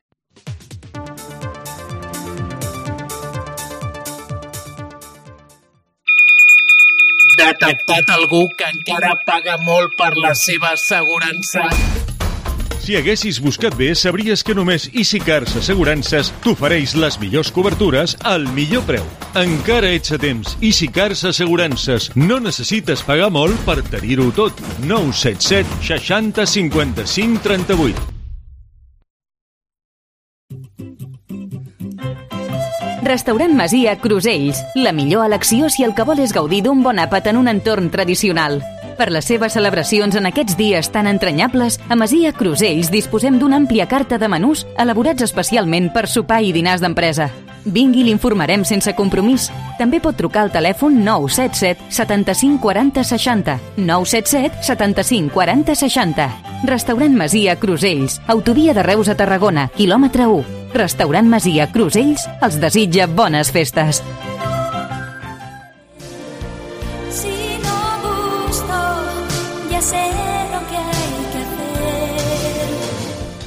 Detectat algú que encara paga molt per la seva assegurança. Si haguessis buscat bé, sabries que només EasyCars Assegurances t'ofereix les millors cobertures al millor preu. Encara ets a temps. EasyCars Assegurances. No necessites pagar molt per tenir-ho tot. 977 60 55 38. Restaurant Masia Crusells. La millor elecció si el que vol és gaudir d'un bon àpat en un entorn tradicional. Per les seves celebracions en aquests dies tan entranyables, a Masia Crusells disposem d'una àmplia carta de menús elaborats especialment per sopar i dinars d'empresa. Vingui i l'informarem sense compromís. També pot trucar al telèfon 977 75 40 60. 977 75 40 60. Restaurant Masia Crusells. Autovia de Reus a Tarragona, quilòmetre 1. Restaurant Masia Crusells els desitja bones festes.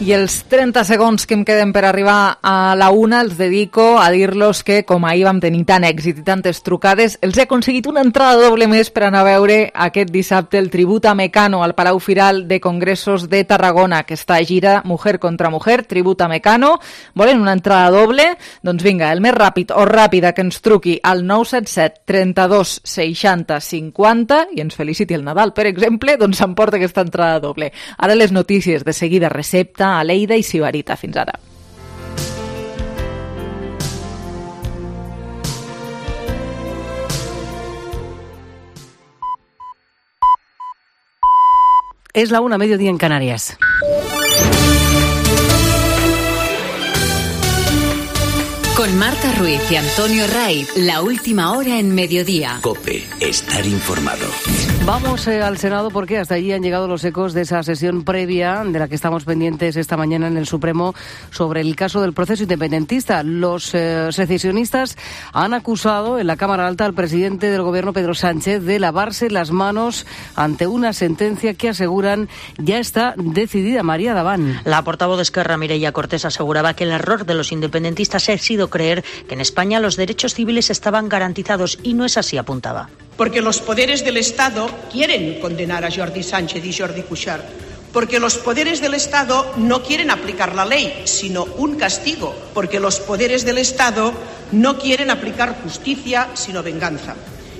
I els 30 segons que em queden per arribar a la una els dedico a dir-los que, com ahir vam tenir tant èxit i tantes trucades, els he aconseguit una entrada doble més per anar a veure aquest dissabte el tribut a Mecano al Palau Firal de Congressos de Tarragona, que està a gira Mujer contra Mujer, tribut a Mecano. Volen una entrada doble? Doncs vinga, el més ràpid o ràpida que ens truqui al 977 32 60 50 i ens feliciti el Nadal, per exemple, doncs s'emporta aquesta entrada doble. Ara les notícies, de seguida recepta, Aleida i Sibarita. Fins ara. Es la 1:00, mediodía en Canarias. Con Marta Ruiz y Antonio Ray, la última hora en mediodía. COPE, estar informado. Vamos al Senado porque hasta allí han llegado los ecos de esa sesión previa de la que estamos pendientes esta mañana en el Supremo sobre el caso del proceso independentista. Los secesionistas han acusado en la Cámara Alta al presidente del Gobierno, Pedro Sánchez, de lavarse las manos ante una sentencia que aseguran ya está decidida. María Daván. La portavoz de Esquerra, Mireia Cortés, aseguraba que el error de los independentistas ha sido creer que en España los derechos civiles estaban garantizados y no es así, apuntaba. porque los poderes del Estado quieren condenar a Jordi Sánchez y Jordi Cuixart, porque los poderes del Estado no quieren aplicar la ley, sino un castigo, porque los poderes del Estado no quieren aplicar justicia, sino venganza.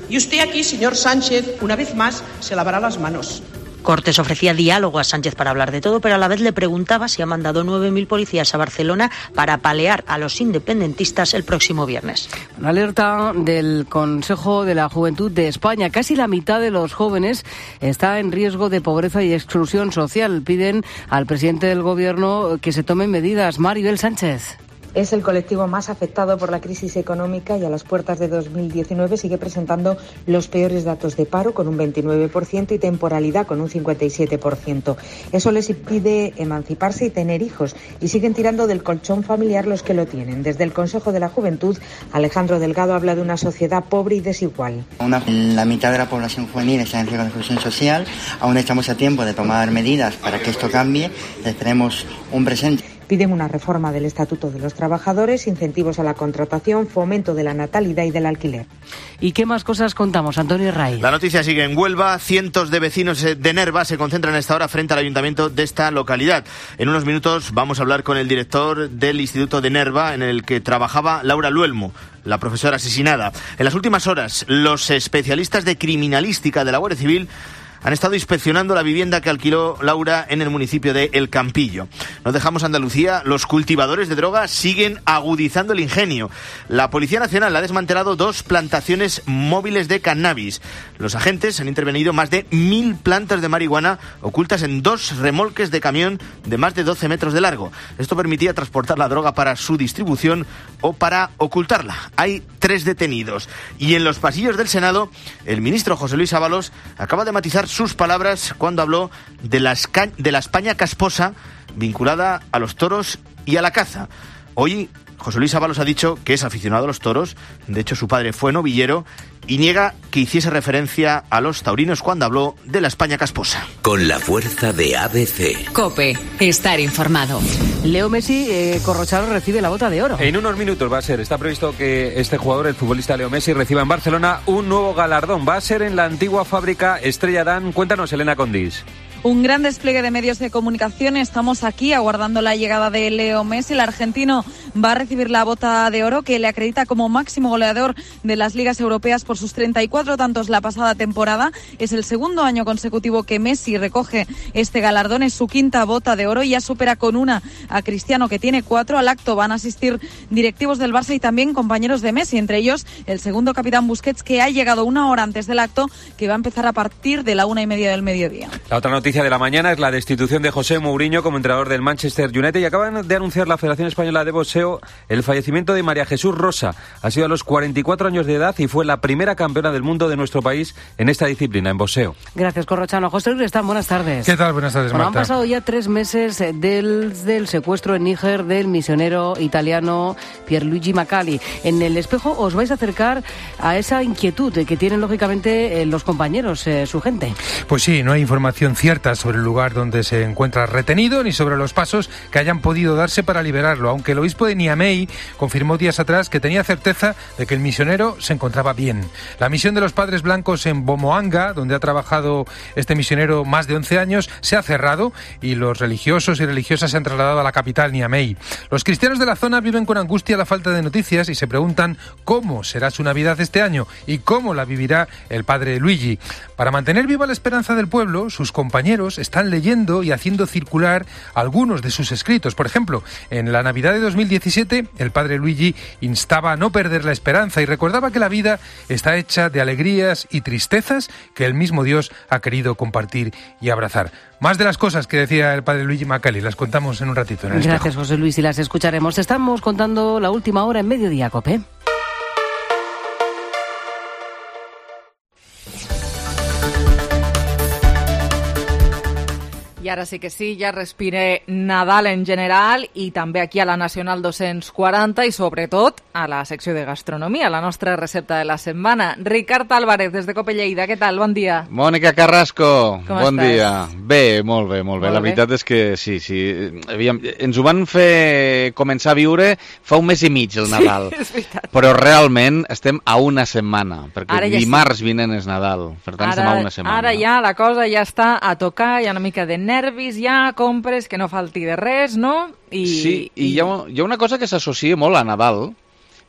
Y usted aquí, señor Sánchez, una vez más, se lavará las manos. Cortes ofrecía diálogo a Sánchez para hablar de todo, pero a la vez le preguntaba si ha mandado 9.000 policías a Barcelona para apalear a los independentistas el próximo viernes. Una alerta del Consejo de la Juventud de España. Casi la mitad de los jóvenes está en riesgo de pobreza y exclusión social. Piden al presidente del Gobierno que se tomen medidas. Maribel Sánchez. Es el colectivo más afectado por la crisis económica y a las puertas de 2019 sigue presentando los peores datos de paro, con un 29%, y temporalidad, con un 57%. Eso les impide emanciparse y tener hijos, y siguen tirando del colchón familiar los que lo tienen. Desde el Consejo de la Juventud, Alejandro Delgado habla de una sociedad pobre y desigual. La mitad de la población juvenil está en riesgo de exclusión social. Aún estamos a tiempo de tomar medidas para que esto cambie. Les tenemos un presente. Piden una reforma del Estatuto de los Trabajadores, incentivos a la contratación, fomento de la natalidad y del alquiler. ¿Y qué más cosas contamos, Antonio Ray? La noticia sigue en Huelva. Cientos de vecinos de Nerva se concentran a esta hora frente al ayuntamiento de esta localidad. En unos minutos vamos a hablar con el director del Instituto de Nerva, en el que trabajaba Laura Luelmo, la profesora asesinada. En las últimas horas, los especialistas de criminalística de la Guardia Civil han estado inspeccionando la vivienda que alquiló Laura en el municipio de El Campillo. No dejamos Andalucía, los cultivadores de droga siguen agudizando el ingenio. La Policía Nacional ha desmantelado 2 plantaciones móviles de cannabis. Los agentes han intervenido más de 1.000 plantas de marihuana ocultas en 2 remolques de camión de más de 12 metros de largo. Esto permitía transportar la droga para su distribución o para ocultarla. Hay 3 detenidos. Y en los pasillos del Senado, el ministro José Luis Ábalos acaba de matizar sus palabras cuando habló de la España casposa vinculada a los toros y a la caza. Hoy José Luis Ábalos ha dicho que es aficionado a los toros, de hecho su padre fue novillero, y niega que hiciese referencia a los taurinos cuando habló de la España casposa. Con la fuerza de ABC. COPE, estar informado. Leo Messi, Corrocharo, recibe la Bota de Oro. En unos minutos va a ser. Está previsto que este jugador, el futbolista Leo Messi, reciba en Barcelona un nuevo galardón. Va a ser en la antigua fábrica Estrella Damm. Cuéntanos, Elena Condis. Un gran despliegue de medios de comunicación. Estamos aquí aguardando la llegada de Leo Messi. El argentino va a recibir la Bota de Oro, que le acredita como máximo goleador de las ligas europeas por sus 34 tantos la pasada temporada. Es el segundo año consecutivo que Messi recoge este galardón. Es su 5ª Bota de Oro y ya supera con una a Cristiano, que tiene 4. Al acto van a asistir directivos del Barça y también compañeros de Messi, entre ellos el segundo capitán Busquets, que ha llegado una hora antes del acto, que va a empezar a partir de la 1:30 del mediodía. La otra noticia de la mañana es la destitución de José Mourinho como entrenador del Manchester United, y acaban de anunciar la Federación Española de Boxeo el fallecimiento de María Jesús Rosa. Ha sido a los 44 años de edad y fue la primera campeona del mundo de nuestro país en esta disciplina, en boxeo. Gracias, Corrochano. José Luis Restán, buenas tardes. ¿Qué tal? Buenas tardes, Marta. Han pasado ya 3 meses del secuestro en Níger del misionero italiano Pierluigi Macali. En el espejo os vais a acercar a esa inquietud que tienen, lógicamente, los compañeros, su gente. Pues sí, no hay información cierta sobre el lugar donde se encuentra retenido ni sobre los pasos que hayan podido darse para liberarlo, aunque el obispo de Niamey confirmó días atrás que tenía certeza de que el misionero se encontraba bien. La misión de los Padres Blancos en Bomoanga, donde ha trabajado este misionero más de 11 años, se ha cerrado y los religiosos y religiosas se han trasladado a la capital, Niamey. Los cristianos de la zona viven con angustia la falta de noticias y se preguntan cómo será su Navidad este año y cómo la vivirá el padre Luigi. Para mantener viva la esperanza del pueblo, sus compañeros están leyendo y haciendo circular algunos de sus escritos. Por ejemplo, en la Navidad de 2017, el padre Luigi instaba a no perder la esperanza y recordaba que la vida está hecha de alegrías y tristezas que el mismo Dios ha querido compartir y abrazar. Más de las cosas que decía el padre Luigi Macali las contamos en un ratito en el Gracias, espejo. José Luis, y las escucharemos. Estamos contando la última hora en Mediodía, COPE. I ara sí que sí, ja respire Nadal en general i també aquí a la Nacional 240 i sobretot a la secció de gastronomia, la nostra recepta de la setmana. Ricard Álvarez, des de Cope Lleida, què tal? Bon dia. Mònica Carrasco, bon estàs? dia. Bé, molt bé. La veritat és que sí. Aviam, ens ho van fer començar a viure fa un mes i mig, el Nadal. Sí, és veritat. Però realment estem a una setmana, perquè Ara ja dimarts vinent és Nadal. Per tant, estem a una setmana. Ara ja la cosa ja està a tocar, hi ha una mica de nervis, ja compres, que no falti de res, no? Sí, i hi ha una cosa que s'associa molt a Nadal,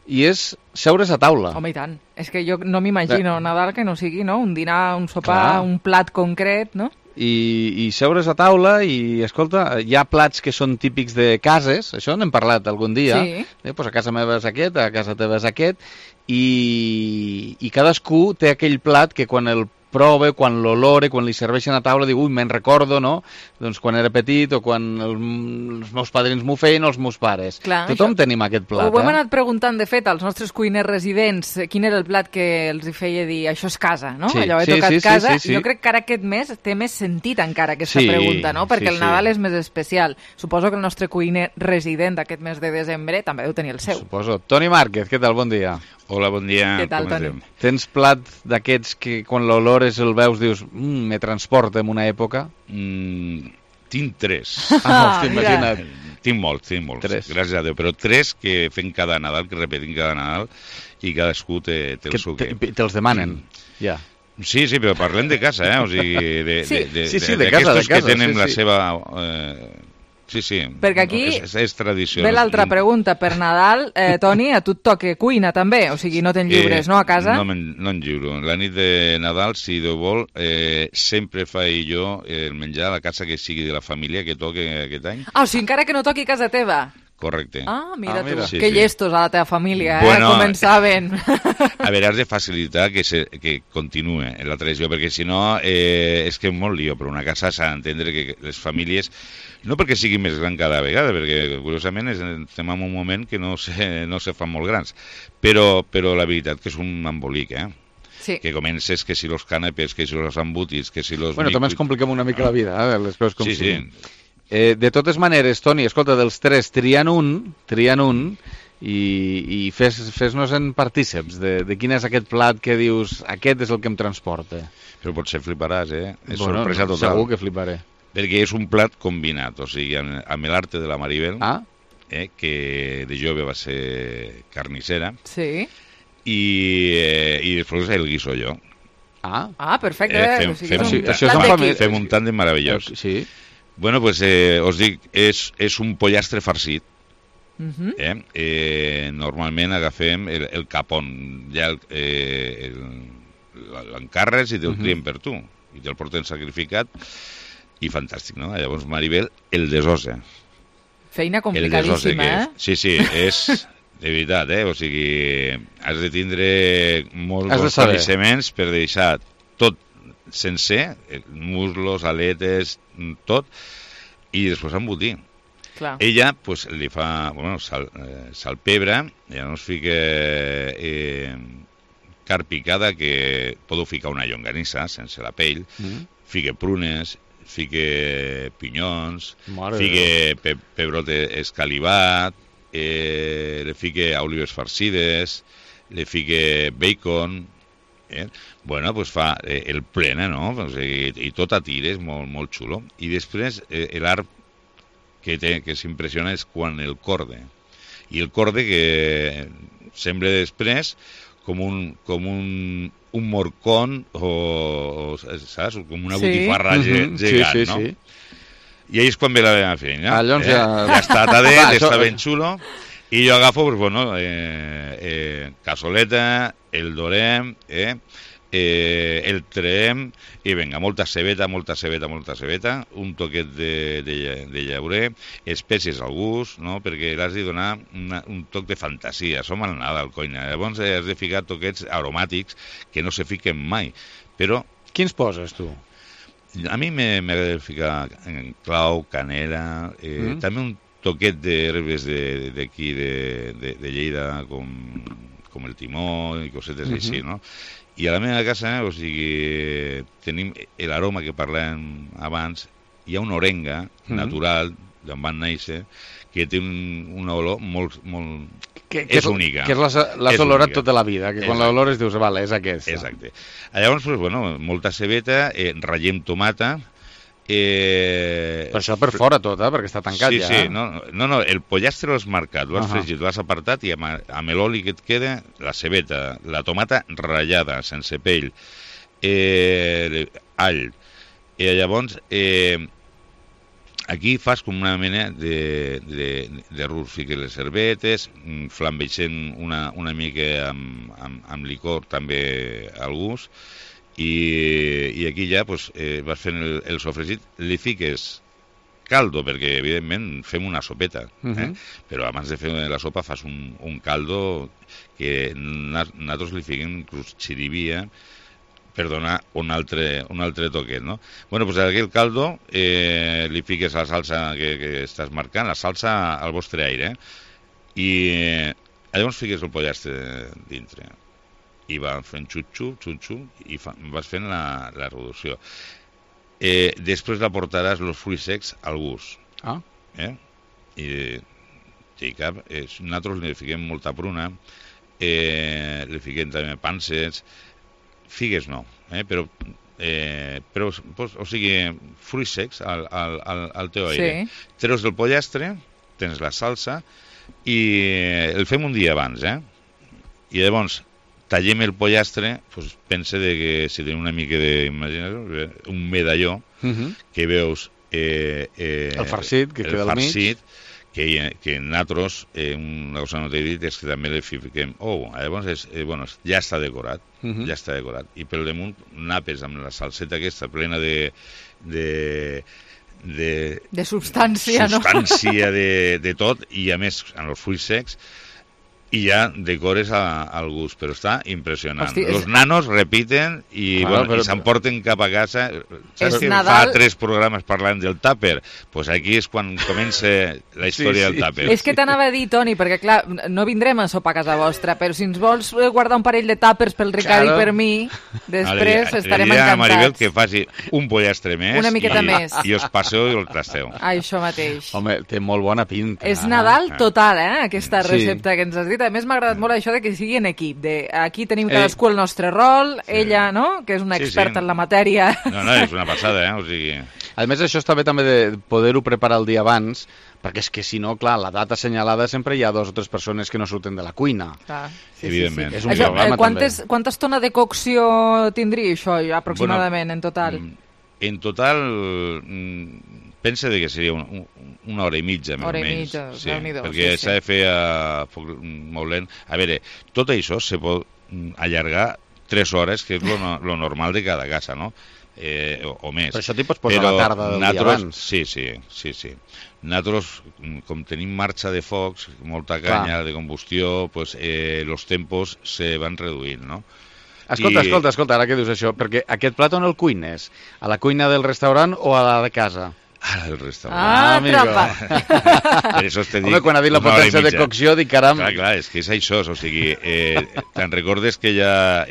i és seure's a taula. Home, i tant. És que jo no m'imagino Nadal que no sigui, no? Un dinar, un sopar, Clar. un plat concret, no? I seure's a taula i, escolta, hi ha plats que són típics de cases, això n'hem parlat algun dia, pues a casa meva és aquest, a casa teva és aquest, i cadascú té aquell plat que quan el prova, quan l'olore, quan li serveixen a taula, diu, ui, me'n recordo, no? Doncs quan era petit o quan els meus padrins m'ho feien o els meus pares. Clar, Tothom tenim aquest plat, Ho hem anat preguntant, de fet, als nostres cuiners residents quin era el plat que els hi feia dir això és casa, no? Sí, Allò he tocat casa. sí. Jo crec que ara aquest mes té més sentit encara aquesta pregunta, no? Perquè el Nadal és més especial. Suposo que el nostre cuiner resident d'aquest mes de desembre també deu tenir el seu. Suposo. Toni Márquez, què tal? Bon dia. Hola, bon dia. Què tal, Toni? Tens plat d'aquests que quan l'olores el veus dius me transporta en una època? Tinc 3. Hòstia, imagina't. Tinc molts. 3. Gràcies a Déu, però 3 que fem cada Nadal, que repetim cada Nadal, i cadascú té el seu què. Te'ls demanen, ja. Sí, però parlem de casa, O sigui, de casa, que tenen la sí. seva... Sí. Perquè aquí és tradició. Ve l'altra pregunta. Per Nadal, Toni, a tu et toca cuina també, o sigui, no te'n lliures, no, a casa? No en lliuro. La nit de Nadal, si Déu vol, sempre faig jo el menjar a la casa que sigui de la família que toque aquest any. Ah, o sigui, encara que no toqui casa teva. Correcte. Mira tu, Sí, que llestos a la teva família, bueno, començaven. A veure, has de facilitar que continue la tradició, perquè si no és que és molt lío, però una casa s'ha d'entendre que les famílies, no perquè siguin més gran cada vegada, perquè curiosament estem en un moment que no se fan molt grans, però la veritat que és un embolic, Sí. Que comences que si los canapés, que si los embotits, que si los... Bueno, també ens compliquem una mica la vida, les coses com siguin. De totes maneres, Toni, escolta, dels 3, trien un i fes-nos en partíceps de quin és aquest plat que dius, aquest és el que em transporta. Però potser fliparàs, És sorpresa total. Segur que fliparé. Perquè és un plat combinat, o sigui, amb l'arte de la Maribel, que de jove va ser carnissera, sí. I després el guiso jo. Perfecte. Fem un tàndem meravellós. Sí. Bueno, pues us dic, és un pollastre farcit. Normalment agafem el capon, ja l'encarres i te'l trien per tu, i te'l porten sacrificat, i fantàstic, no? Llavors, Maribel, el desossa. Feina complicadíssima, Sí, és de veritat, o sigui, has de tindre molts bons coneixements per deixar tot sencer, muslos, aletes, tot, i després embotir. Clar. Ella pues, li fa salpebre, llavors fica carn picada, que podeu ficar una llonganissa sense la pell, fica prunes, fica pinyons, fica pebrot escalivat, li fica olives farcides, li fica bacon, bueno, pues fa el plena, no? I tot a tires, molt xulo. I després l'art que s'impressiona és quan el corde. I el corde que sembla després com un morcón o saps? Com una botifarra gegant, no? I ahí és quan ve la meva feina. Ja està tadet, està ben xulo. I jo agafo, pues, bueno, casoleta, el dorem, el traem, i vinga, molta cebeta, un toquet de llaurer, espècies al gust, no? Perquè l'has de donar un toc de fantasia. Som al Nadal, coina. Llavors has de ficar toquets aromàtics que no se fiquen mai. Però... Quins poses, tu? A mi m'agrada ficar clau, canela, també un toquet d'herbes d'aquí, de Lleida, com el timó i cosetes així, no? I a la meva casa, o sigui, tenim l'aroma que parlàvem abans, hi ha una orenga natural d'on van néixer que té una olor molt és única. Que l'has olorat tota la vida, que quan l'olores dius, vale, és aquesta. Exacte. Llavors, molta cebeta, ratllem tomata. Però això per fora tot, perquè està tancat ja. Sí, no, el pollastre l'has marcat, l'has fregit, l'has apartat i amb l'oli que et queda, la cebeta, la tomata ratllada, sense pell, all. Llavors, aquí fas com una mena de rus, fiques les herbetes, flambeixent una mica amb licor també al gust, i aquí ja vas fent el sofregit, li fiques caldo, perquè evidentment fem una sopeta, però abans de fer la sopa fas un caldo que nosaltres li fiquem inclús xirivia per donar un altre toquet, no? Bueno, doncs aquí el caldo li fiques la salsa que estàs marcant, la salsa al vostre aire, i llavors fiques el pollastre dintre, i va fent xutxu, i vas fent la reducció. Després la portaràs els fruits secs al gust. I nosaltres li fiquem molta pruna, li fiquem també panses, figues no, però o sigui, fruits secs al teu aire. Treus del pollastre, tens la salsa, i el fem un dia abans, i llavors tallem el pollastre, pensa que si tenim una mica un medalló, que veus el farcit, que queda al mig, que nosaltres, una cosa no t'he dit, és que també li fiquem llavors ja està decorat, i pel damunt napes amb la salseta aquesta plena de substància, no? Substància de tot, i a més amb els fruits secs, i ja decores al gust, però està impressionant. Los nanos repiten i s'emporten cap a casa. Saps que fa 3 programes parlant del tàper? Doncs aquí és quan comença la història del tàper. És que t'anava a dir, Toni, perquè clar, no vindrem a sopar a casa vostra, però si ens vols guardar un parell de tàpers pel Ricard i per mi, després estarem encantats. A Maribel que faci un pollastre més, una miqueta més, i us passeu i el trasteu. Això mateix. Home, té molt bona pinta. És Nadal total, aquesta recepta que ens has dit. A més, m'ha agradat molt això de que sigui en equip. Aquí tenim cadascú el nostre rol, ella, no?, que és una experta en la matèria. No, és una passada, o sigui... A més, això està bé també de poder-ho preparar el dia abans, perquè és que si no, clar, la data assenyalada sempre hi ha 2 o 3 persones que no surten de la cuina. Evidentment. És un problema també. Quanta estona de cocció tindria això, aproximadament, en total? En total... pensa que seria una hora i mitja, més o menys. Perquè s'ha de fer a foc molt lent. A veure, tot això se pot allargar 3 hores, que és lo normal de cada casa, no? O més. Però això t'hi pots posar a la tarda del dia abans. Sí. Nosaltres, com tenim marxa de focs, molta canya de combustió, els tempos se van reduint, no? Escolta, ara que dius això, perquè aquest plat on el cuines? A la cuina del restaurant o a la de casa? Ara el restaurant. Trampa. Per això t'he dit... Home, quan ha dit la potència de cocció, dic, caram... Clar, és que és això, o sigui, te'n recordes que ja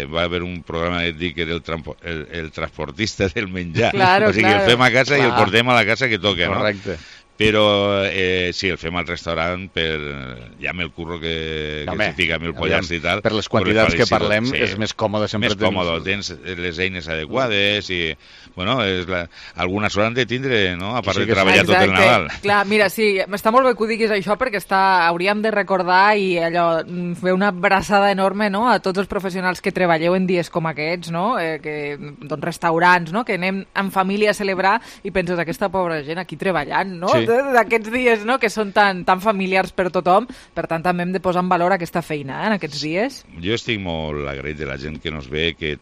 va haver un programa que dic que era el transportista del menjar? O sigui, el fem a casa i el portem a la casa que toca, no? Correcte. Però sí, el fem al restaurant ja amb el curro que s'hi fica amb el pollastre i tal. Per les quantitats que parlem és més còmode sempre. Més còmode, tens les eines adequades i, bueno, alguna sort han de tindre, no?, a part de treballar tot el Nadal. Clar, mira, sí, està molt bé que ho diguis això perquè hauríem de recordar i allò, fer una abraçada enorme, no?, a tots els professionals que treballeu en dies com aquests, no?, doncs restaurants, no?, que anem en família a celebrar i penses, aquesta pobra gent aquí treballant, no?, d'aquests dies, no?, que són tan familiars per tothom. Per tant, també hem de posar en valor aquesta feina en aquests dies. Jo estic molt agraït de la gent que nos ve, que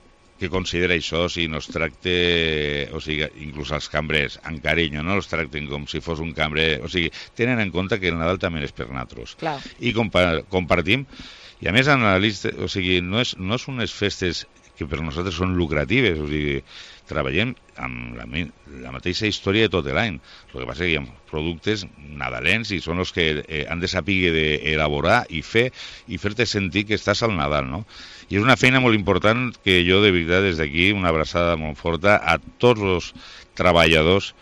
considera això, si nos tracte, o sigui, inclús els cambrers, amb carinyo, no els tracten com si fos un cambrer, o sigui, tenen en compte que el Nadal també és per nosaltres. I compartim, I a més, o sigui, no és unes festes que per nosaltres són lucratives, o sigui, treballem amb la mateixa història de tot l'any. El que passa és que hi ha productes nadalens i són els que han de saber d'elaborar i fer i fer-te sentir que estàs al Nadal, no? I és una feina molt important que jo, de veritat, des d'aquí, una abraçada molt forta a tots els treballadors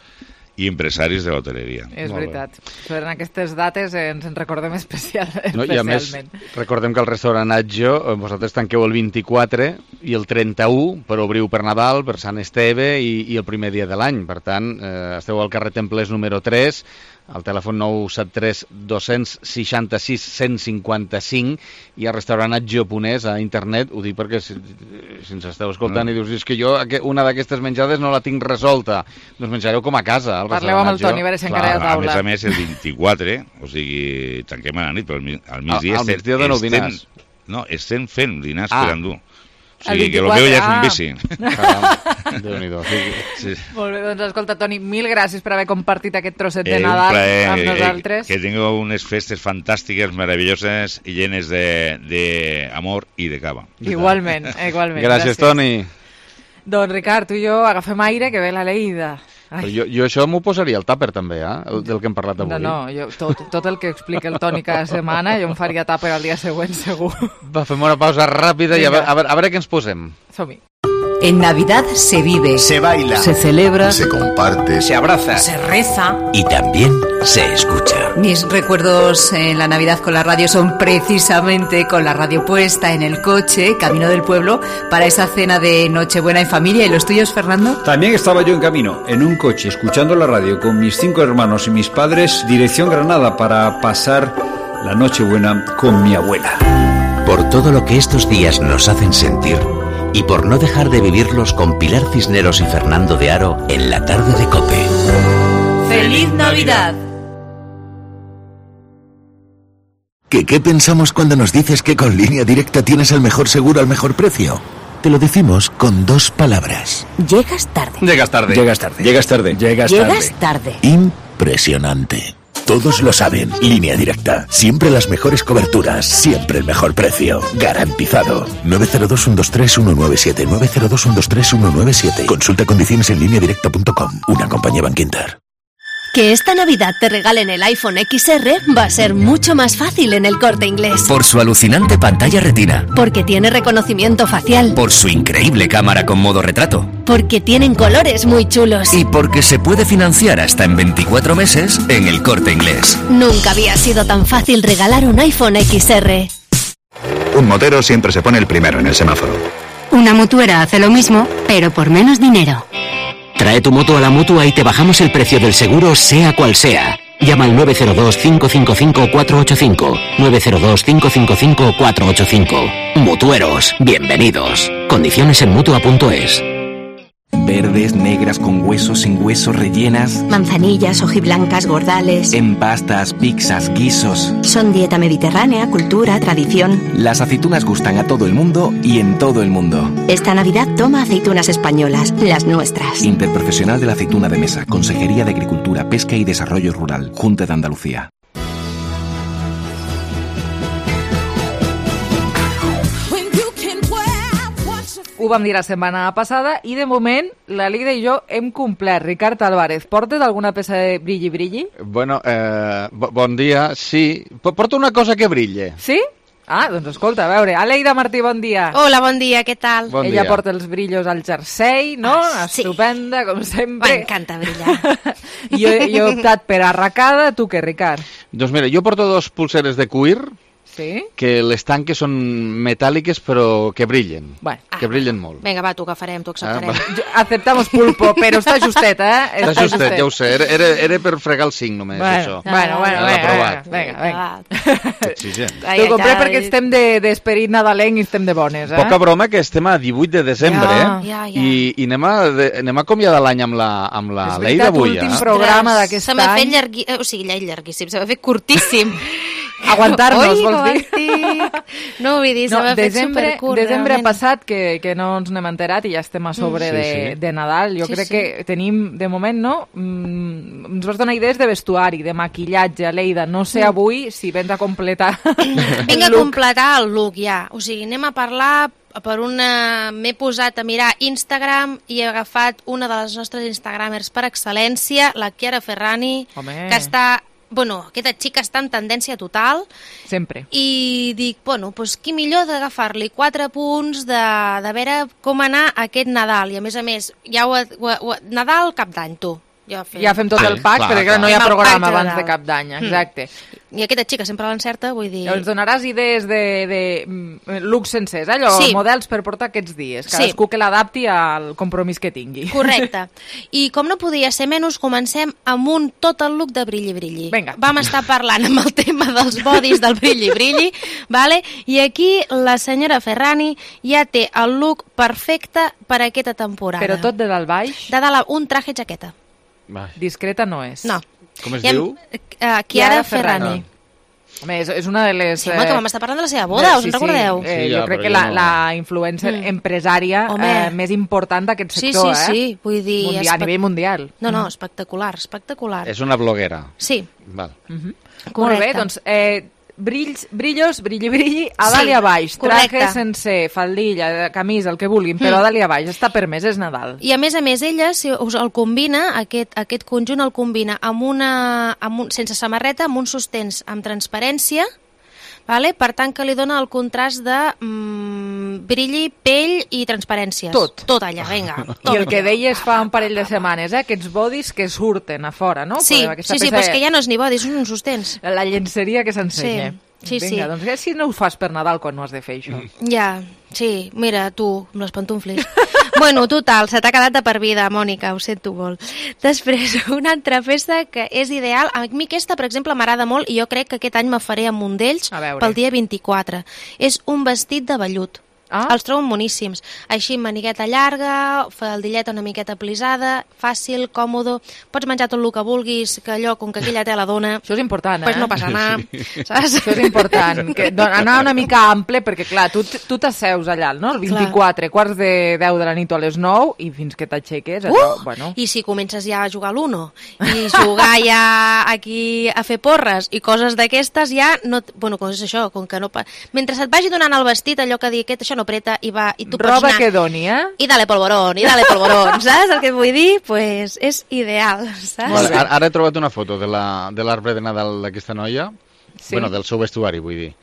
i empresaris de l'hoteleria. És veritat. Per aquestes dates ens en recordem especialment. I a més, recordem que el restaurant Atjo, vosaltres tanqueu el 24 i el 31 per obriu per Nadal, per Sant Esteve i el primer dia de l'any. Per tant, esteu al carrer Templers número 3, al telèfon 973 266 155 i al restaurant Atjo.es a internet. Ho dic perquè si ens esteu escoltant i dius, és que jo una d'aquestes menjades no la tinc resolta, doncs menjareu com a casa. Parleu amb el Toni, a veure si encara hi ha taula. A més, el 24, o sigui, tanquem a la nit, però al migdia... Al migdia doneu dinars. No, estem fent dinars per endur. O sigui, que el meu ja és un bici. Déu-n'hi-do. Sí. Molt bé, doncs escolta, Toni, mil gràcies per haver compartit aquest trosset de Nadal amb nosaltres. Que tingueu unes festes fantàstiques, meravelloses i llenes d'amor i de cava. Igualment. Gràcies, Toni. Doncs, Ricard, tu i jo agafem aire, que ve la Lleida. Jo això m'ho posaria al tàper també, del que hem parlat avui. No, tot el que explica el Toni cada setmana jo em faria tàper al dia següent, segur. Va, fem una pausa ràpida i a veure què ens posem. Som-hi. En Navidad se vive, se baila, se celebra, se comparte, se abraza, se reza y también se escucha. Mis recuerdos en la Navidad con la radio son precisamente con la radio puesta en el coche, camino del pueblo, para esa cena de Nochebuena en familia. ¿Y los tuyos, Fernando? También estaba yo en camino, en un coche, escuchando la radio con mis 5 hermanos y mis padres, dirección Granada, para pasar la Nochebuena con mi abuela. Por todo lo que estos días nos hacen sentir y por no dejar de vivirlos con Pilar Cisneros y Fernando de Aro en la tarde de COPE. ¡Feliz Navidad! ¿Qué pensamos cuando nos dices que con Línea Directa tienes el mejor seguro al mejor precio? Te lo decimos con 2 palabras. Llegas tarde. Llegas tarde. Llegas tarde. Llegas tarde. Llegas tarde. Llegas tarde. Impresionante. Todos lo saben. Línea Directa. Siempre las mejores coberturas. Siempre el mejor precio. Garantizado. 902-123-197. 902-123-197. Consulta condiciones en lineadirecta.com. Una compañía Bankinter. Que esta Navidad te regalen el iPhone XR va a ser mucho más fácil en El Corte Inglés. Por su alucinante pantalla retina. Porque tiene reconocimiento facial. Por su increíble cámara con modo retrato. Porque tienen colores muy chulos. Y porque se puede financiar hasta en 24 meses en El Corte Inglés. Nunca había sido tan fácil regalar un iPhone XR. Un motero siempre se pone el primero en el semáforo. Una mutuera hace lo mismo, pero por menos dinero. Trae tu moto a la Mutua y te bajamos el precio del seguro, sea cual sea. Llama al 902-555-485. 902-555-485. Mutueros, bienvenidos. Condiciones en Mutua.es. Verdes, negras, con huesos, sin huesos, rellenas. Manzanillas, hojiblancas, gordales. En pastas, pizzas, guisos. Son dieta mediterránea, cultura, tradición. Las aceitunas gustan a todo el mundo y en todo el mundo. Esta Navidad toma aceitunas españolas, las nuestras. Interprofesional de la aceituna de mesa, Consejería de Agricultura, Pesca y Desarrollo Rural, Junta de Andalucía. Ho vam dir la setmana passada i de moment la Lida i jo hem complert. Ricard Álvarez, portes alguna peça de brilli? Bueno, bon dia, sí. Porto una cosa que brille. Sí? Ah, doncs escolta, a veure, Aleida Martí, bon dia. Hola, bon dia, què tal? Bon Ella dia. porta els brillos al jersei, no? Sí. Estupenda, com sempre. M'encanta brillar. Jo he optat per arracada, tu què, Ricard? Doncs mira, jo porto 2 pulseres de cuir, sí? que les tanques són metàl·liques però que brillen, bueno, que brillen molt. Vinga, va, t'ho agafarem, t'ho acceptarem. Aceptamos pulpo, però està justet, eh? Està justet, ja ho sé, era per fregar el 5 només, això. Bueno, vinga. Exigent. T'ho compré perquè estem d'esperit nadalenc i estem de bones, eh? Poca broma que estem a 18 de desembre, i anem a acomiadar l'any amb la Leida avui. És veritat, l'últim programa d'aquest any. Se m'ha fet llarguíssim, se m'ha fet curtíssim. Aguantar-nos, vols dir? No, vull dir, s'ha fet supercurt. Desembre passat, que no ens n'hem enterat i ja estem a sobre de Nadal. Jo crec que tenim, de moment, no? Ens vas donar idees de vestuari, de maquillatge, Leida. No sé avui si vens a completar Vinc a completar el look, ja. O sigui, anem a parlar m'he posat a mirar Instagram i he agafat una de les nostres instagramers per excel·lència, la Chiara Ferrani, que està... Bueno, aquesta xica està en tendència total. Sempre. I dic, bueno, doncs qui millor d'agafar-li 4 punts de veure com anar aquest Nadal. I a més, Nadal, cap d'any, tu. Ja fem tot el pack, perquè no hi ha programa abans de cap d'any, exacte. I aquesta xica sempre l'encerta, vull dir... Ens donaràs idees de looks sencers, allò, models per portar aquests dies, cadascú que l'adapti al compromís que tingui. Correcte. I com no podia ser menys, comencem amb tot el look de brilli-brilli. Vinga. Vam estar parlant amb el tema dels bodis del brilli-brilli, vale? I aquí la senyora Ferrani ja té el look perfecte per a aquesta temporada. Però tot de dalt baix? De dalt, un traje jaqueta. Discreta no és. No. Com es diu? Chiara Ferrani. Home, és una de les... Sí, que vam estar parlant de la seva boda, us en recordeu? Jo crec que la influencer empresària més important d'aquest sector, Sí, vull dir... A nivell mundial. No, espectacular. És una bloguera. Sí. Val. Molt bé, doncs... brillos, brilli, a dalt i a baix, traje sencer, faldilla, camisa, el que vulguin, però a dalt i a baix, està permès, és Nadal. I a més, ella us el combina, aquest conjunt el combina sense samarreta, amb uns sostens amb transparència, per tant que li dona el contrast de brilli, pell i transparència. Tot allà, vinga. I el que deies fa un parell de setmanes, aquests bodis que surten a fora, no? Sí, però és que ja no és ni bodis, són uns sostens. La llenceria que s'ensenya. Sí. Vinga, doncs si no ho fas per Nadal quan no has de fer això. Ja, sí, mira, tu, amb les pantufles. Bueno, total, se t'ha quedat de per vida, Mònica, ho sento molt. Després, una altra festa que és ideal. A mi aquesta, per exemple, m'agrada molt i jo crec que aquest any me faré amb un d'ells pel dia 24. És un vestit de vellut. Els trobo moníssims. Així, manigueta llarga, faldilleta una miqueta plisada, fàcil, còmodo, pots menjar tot el que vulguis, que allò, com que aquella té la dona... Això és important, pues no passa anar, saps? Això és important, anar una mica ample, perquè clar, tu t'asseus allà, no? El 24, quarts de 10 de la nit o a les 9, i fins que t'aixeques, bueno... I si comences ja a jugar a l'Uno, i jugar ja aquí a fer porres, i coses d'aquestes ja... Bueno, com és això, com que no... Mentre se't vagi donant el vestit, allò que dic, això no preta i tu pots roba anar... que doni, I dale polvorón, saps el que vull dir? Pues és ideal, saps? Bueno, ara he trobat una foto de l'arbre de Nadal d'aquesta noia, bueno, del seu vestuari, vull dir.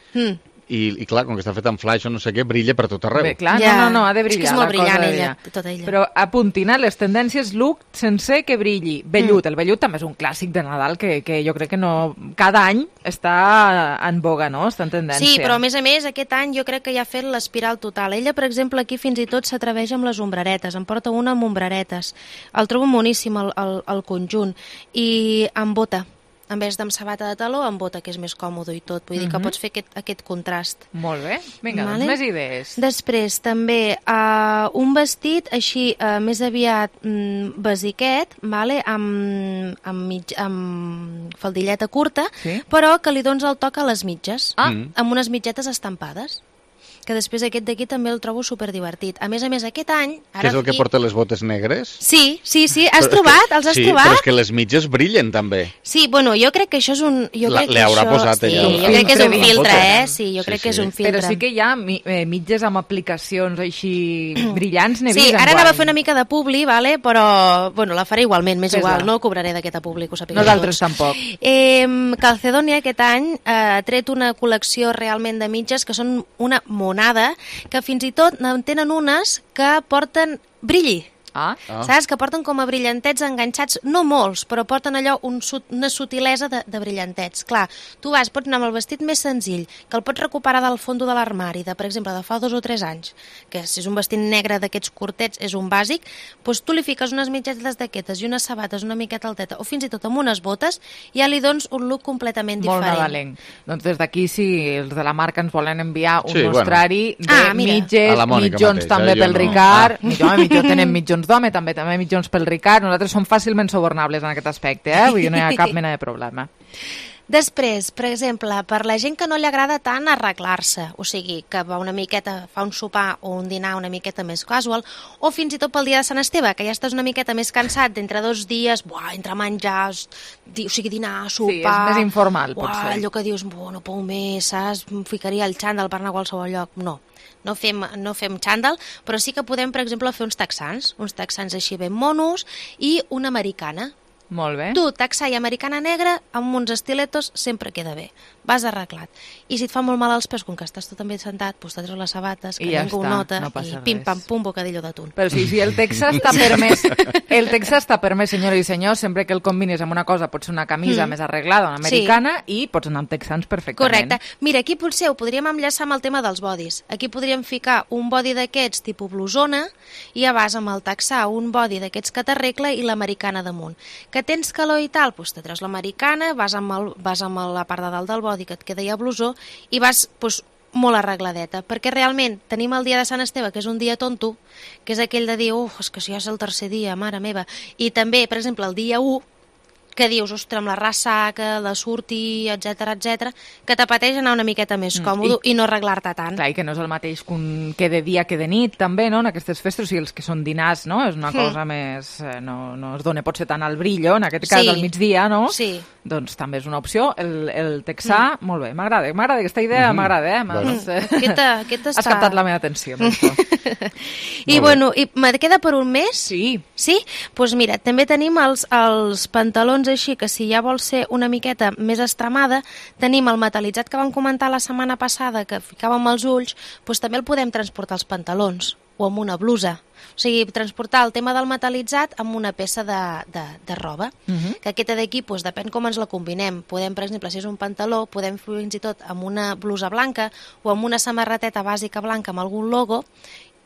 I clar, com que està fet en flash o no sé què, brilla per tot arreu. Bé, clar, no, ha de brillar. És que és molt brillant ella, tota ella. Però apuntin les tendències look sencer que brilli. Vellut, el vellut també és un clàssic de Nadal que jo crec que no... Cada any està en boga, no? Està en tendència. Sí, però a més, aquest any jo crec que ja ha fet l'espiral total. Ella, per exemple, aquí fins i tot s'atreveix amb les ombreretes. En porta una amb ombreretes. El trobo moníssim, el conjunt. I amb bota. En vez d'amb sabata de taló, amb bota, que és més còmode i tot. Vull dir que pots fer aquest contrast. Molt bé. Vinga, doncs més idees. Després, també, un vestit així, més aviat basiquet, amb faldilleta curta, però que li dones el toc a les mitges, amb unes mitgetes estampades. Que després aquest d'aquí també el trobo superdivertit. A més, aquest any... Que és el que porta les botes negres? Sí. Els has trobat? Sí, però és que les mitges brillen també. Sí, bueno, jo crec que això és un... Le haurà posat ella. Sí, jo crec que és un filtre, Sí, jo crec que és un filtre. Però sí que hi ha mitges amb aplicacions així brillants, n'he vist. Sí, ara anava a fer una mica de publi, però bueno, la faré igualment, m'és igual, no cobraré d'aquesta publi, que ho sapigueu. Nosaltres tampoc. Calcedonia aquest any ha tret una col·lecció realment de mitges que són una monada, que fins i tot en tenen unes que porten brilli. Saps? Que porten com a brillantets enganxats, no molts, però porten allò una sutilesa de brillantets. Clar, tu pots anar amb el vestit més senzill, que el pots recuperar del fondo de l'armari, per exemple, de fa 2 o 3 anys, que si és un vestit negre d'aquests curtets, és un bàsic, doncs tu li fiques unes mitgetes d'aquestes i unes sabates una miqueta alteta, o fins i tot amb unes botes, ja li dones un look completament diferent. Molt nadalenc. Doncs des d'aquí, si els de la marca ens volen enviar un mostrari de mitges, mitjons també pel Ricard, mitjons tenen mitjons d'home, també mitjons pel Ricard. Nosaltres som fàcilment subornables en aquest aspecte, vull dir, no hi ha cap mena de problema. Després, per exemple, per la gent que no li agrada tant arreglar-se, o sigui, que va una miqueta, fa un sopar o un dinar una miqueta més casual, o fins i tot pel dia de Sant Esteve, que ja estàs una miqueta més cansat d'entre 2 dies, entre menjars, o sigui, dinar, sopar... Sí, és més informal, potser. Allò que dius, no puc més, saps? Em ficaria el xandall per anar a qualsevol lloc. No fem xandall, però sí que podem, per exemple, fer uns texans així ben monos i una americana. Molt bé. Tu, texà i americana negra, amb uns estiletos, sempre queda bé. Vas arreglat. I si et fa molt mal als peus, com que estàs tu també sentat, doncs te treus les sabates, que ningú ho nota, i pim-pam-pum, bocadillo d'atún. Però sí, el Texà està permès, senyores i senyors, sempre que el combines amb una cosa, pot ser una camisa més arreglada, una americana, i pots anar amb texans perfectament. Correcte. Mira, aquí potser ho podríem enllaçar amb el tema dels bodis. Aquí podríem ficar un body d'aquests tipus blusona, i ja vas amb el texà, un body d'aquests que t'arregla i l'americana damunt. Que tens calor i tal, doncs te treus l'americana, vas amb la part de dalt del body que et queda ja blusó i vas molt arregladeta, perquè realment tenim el dia de Sant Esteve, que és un dia tonto, que és aquell de dir, és que si ja és el tercer dia, mare meva, i també, per exemple, el dia 1, que dius, ostres, amb la ressaca, de sortir, etc, que t'apeteix anar una miqueta més còmode i no arreglar-te tant. Clar, i que no és el mateix que de dia que de nit, també, no?, en aquestes festes, o sigui, els que són dinars, no?, és una cosa més... No es dona potser tant al brillo, en aquest cas al migdia, no? Sí. Doncs també és una opció. El texà, molt bé, m'agrada aquesta idea, m'agrada, Aquesta Has captat la meva atenció. I bueno, me queda per un mes? Sí. Sí? Doncs mira, també tenim els pantalons així, que si ja vol ser una miqueta més estremada, tenim el metalitzat que vam comentar la setmana passada, que ficàvem els ulls, doncs també el podem transportar als pantalons o amb una blusa. O sigui, transportar el tema del metalitzat amb una peça de roba, que aquesta d'aquí, doncs, depèn com ens la combinem. Podem, per exemple, si és un pantaló, podem fins i tot amb una blusa blanca o amb una samarreteta bàsica blanca amb algun logo,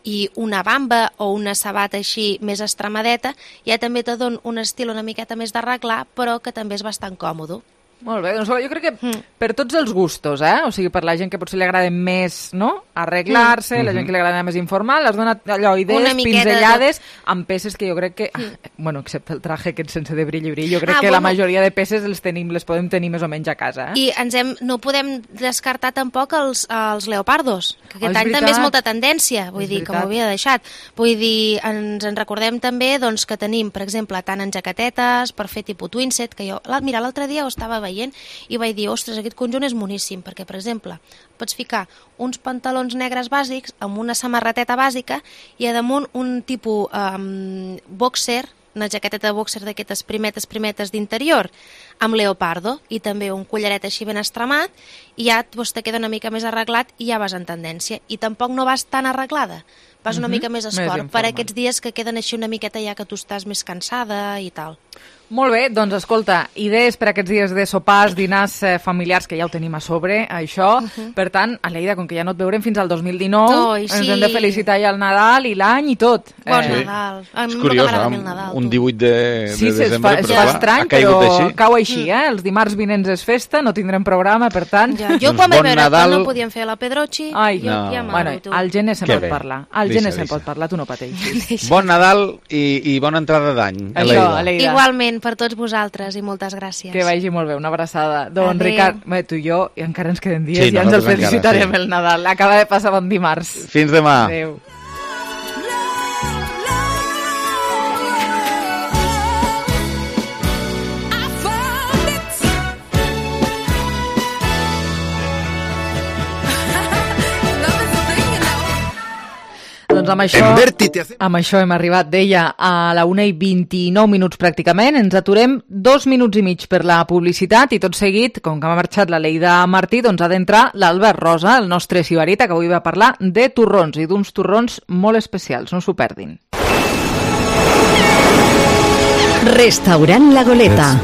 i una bamba o una sabata així més estremadeta, ja també te don un estil una miqueta més d'arreglar, però que també és bastant còmode. Molt bé, doncs jo crec que per tots els gustos, o sigui, per la gent que potser li agrada més, no?, arreglar-se, la gent que li agrada més informal, has donat allò idees pinzellades amb peces que jo crec que, bueno, excepte el traje aquest sense de brill, jo crec que la majoria de peces les podem tenir més o menys a casa. I no podem descartar tampoc els leopardos, que aquest any també és molta tendència, vull dir, que m'ho havia deixat. Vull dir, ens en recordem també que tenim, per exemple, tant en jaquetetes, per fer tipus twinset, que jo, mira, l'altre dia ho estava veient i vaig dir, ostres, aquest conjunt és moníssim, perquè, per exemple, pots ficar uns pantalons negres bàsics amb una samarreteta bàsica i a damunt un tipus boxer, una jaqueteta de boxer d'aquestes primetes d'interior, amb leopardo, i també un collaret així ben estremat, i ja te queda una mica més arreglat i ja vas en tendència. I tampoc no vas tan arreglada, vas una mica més esport, per aquests dies que queden així una miqueta ja que tu estàs més cansada i tal. Molt bé, doncs escolta, idees per aquests dies de sopars, dinars familiars, que ja ho tenim a sobre, això. Per tant, Aleida, com que ja no et veurem fins al 2019, ens hem de felicitar ja el Nadal i l'any i tot. Bon Nadal. És curiós, un 18 de desembre, però és estrany, però cau així, els dimarts vinents és festa, no tindrem programa, per tant... Jo quan vaig veure que no podíem fer la Pedrochi, ja bueno, al gener se'n pot parlar. Al gener se'n pot parlar, tu no pateixis. Bon Nadal i bona entrada d'any, Aleida. Igualment, per tots vosaltres i moltes gràcies. Que vagi molt bé, una abraçada. Doncs Ricard, tu i jo encara ens queden dies i ja ens el felicitarem el Nadal. Acaba de passar bon dimarts. Fins demà. Adéu. Doncs amb això hem arribat, deia, a la 1:29 pràcticament. Ens aturem 2 minuts i mig per la publicitat i tot seguit, com que m'ha marxat la Leida Martí, doncs ha d'entrar l'Albert Rosa, el nostre sibarita, que avui va parlar de torrons i d'uns torrons molt especials. No s'ho perdin. Restaurant La Goleta.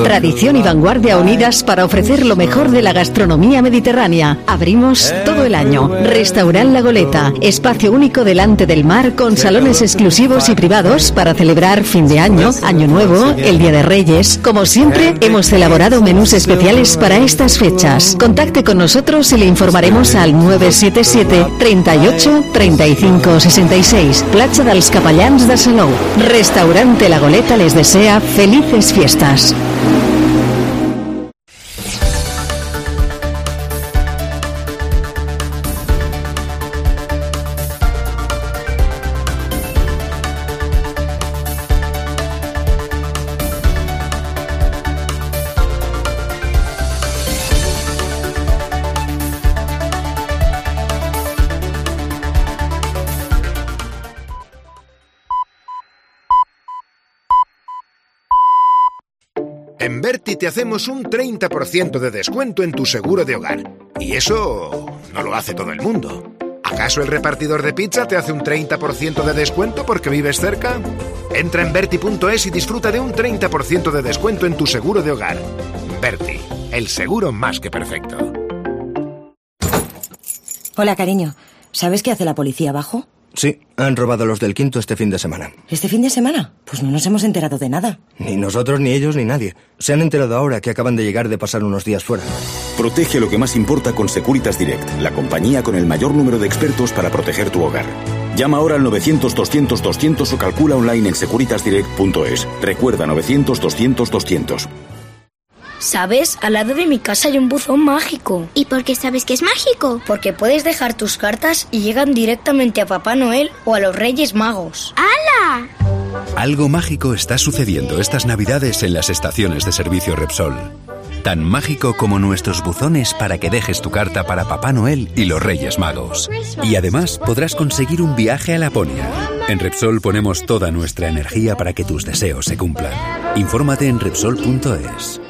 Tradición y vanguardia unidas para ofrecer lo mejor de la gastronomía mediterránea. Abrimos todo el año. Restaurant La Goleta. Espacio único delante del mar con salones exclusivos y privados para celebrar fin de año, Año Nuevo, el Día de Reyes. Como siempre, hemos elaborado menús especiales para estas fechas. Contacte con nosotros y le informaremos al 977 38 35 66. Platja dels Capellans de Salou. Restaurante La Goleta les desea felices fiestas. En Berti te hacemos un 30% de descuento en tu seguro de hogar. Y eso no lo hace todo el mundo. ¿Acaso el repartidor de pizza te hace un 30% de descuento porque vives cerca? Entra en Berti.es y disfruta de un 30% de descuento en tu seguro de hogar. Berti, el seguro más que perfecto. Hola, cariño. ¿Sabes qué hace la policía abajo? Sí, han robado los del Quinto este fin de semana. ¿Este fin de semana? Pues no nos hemos enterado de nada. Ni nosotros, ni ellos, ni nadie. Se han enterado ahora que acaban de llegar de pasar unos días fuera. Protege lo que más importa con Securitas Direct, la compañía con el mayor número de expertos para proteger tu hogar. Llama ahora al 900-200-200 o calcula online en securitasdirect.es. Recuerda, 900-200-200. ¿Sabes? Al lado de mi casa hay un buzón mágico. ¿Y por qué sabes que es mágico? Porque puedes dejar tus cartas y llegan directamente a Papá Noel o a los Reyes Magos. ¡Hala! Algo mágico está sucediendo estas Navidades en las estaciones de servicio Repsol. Tan mágico como nuestros buzones para que dejes tu carta para Papá Noel y los Reyes Magos. Y además podrás conseguir un viaje a Laponia. En Repsol ponemos toda nuestra energía para que tus deseos se cumplan. Infórmate en Repsol.es.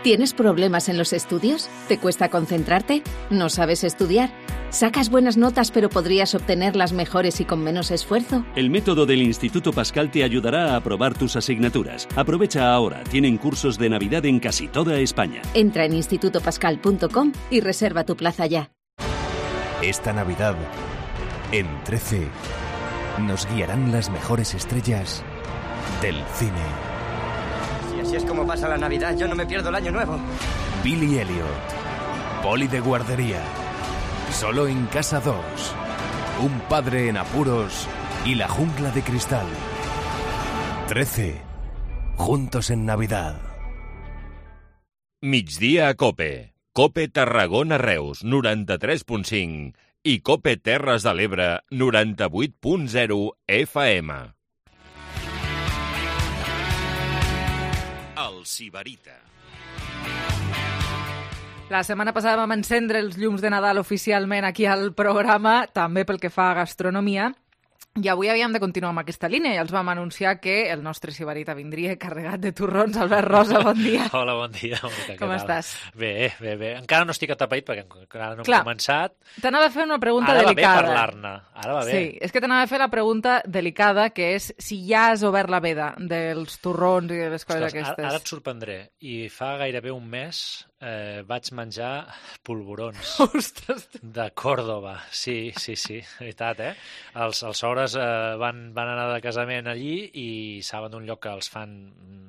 ¿Tienes problemas en los estudios? ¿Te cuesta concentrarte? ¿No sabes estudiar? ¿Sacas buenas notas pero podrías obtenerlas mejores y con menos esfuerzo? El método del Instituto Pascal te ayudará a aprobar tus asignaturas. Aprovecha ahora, tienen cursos de Navidad en casi toda España. Entra en institutopascal.com y reserva tu plaza ya. Esta Navidad, en 13, nos guiarán las mejores estrellas del cine. Así es como pasa la Navidad, yo no me pierdo el Año Nuevo. Billy Elliot, Poli de guardería, Solo en Casa 2, Un padre en apuros y La jungla de cristal. 13, juntos en Navidad. Migdia a Cope. Cope Tarragona Reus, 93.5 i Cope Terres de l'Ebre, 98.0 FM. El Sibarita. La setmana passada vam encendre els llums de Nadal oficialment aquí al programa, també pel que fa a gastronomia, i avui havíem de continuar amb aquesta línia i els vam anunciar que el nostre Sibarita vindria carregat de torrons. Albert Rosa, bon dia. Hola, bon dia. Monica, com estàs? Bé. Encara no estic atapeït perquè encara no hem començat. T'anava a fer una pregunta delicada. Ara va bé parlar-ne. Ara va bé. Sí, és que t'anava a fer la pregunta delicada, que és si ja has obert la veda dels torrons i de les coses aquestes. Ara et sorprendré. I fa gairebé un mes vaig menjar polvorons. Ostres! De Còrdoba. Sí, veritat, eh? Els sogres van anar de casament allí i saben d'un lloc que els fan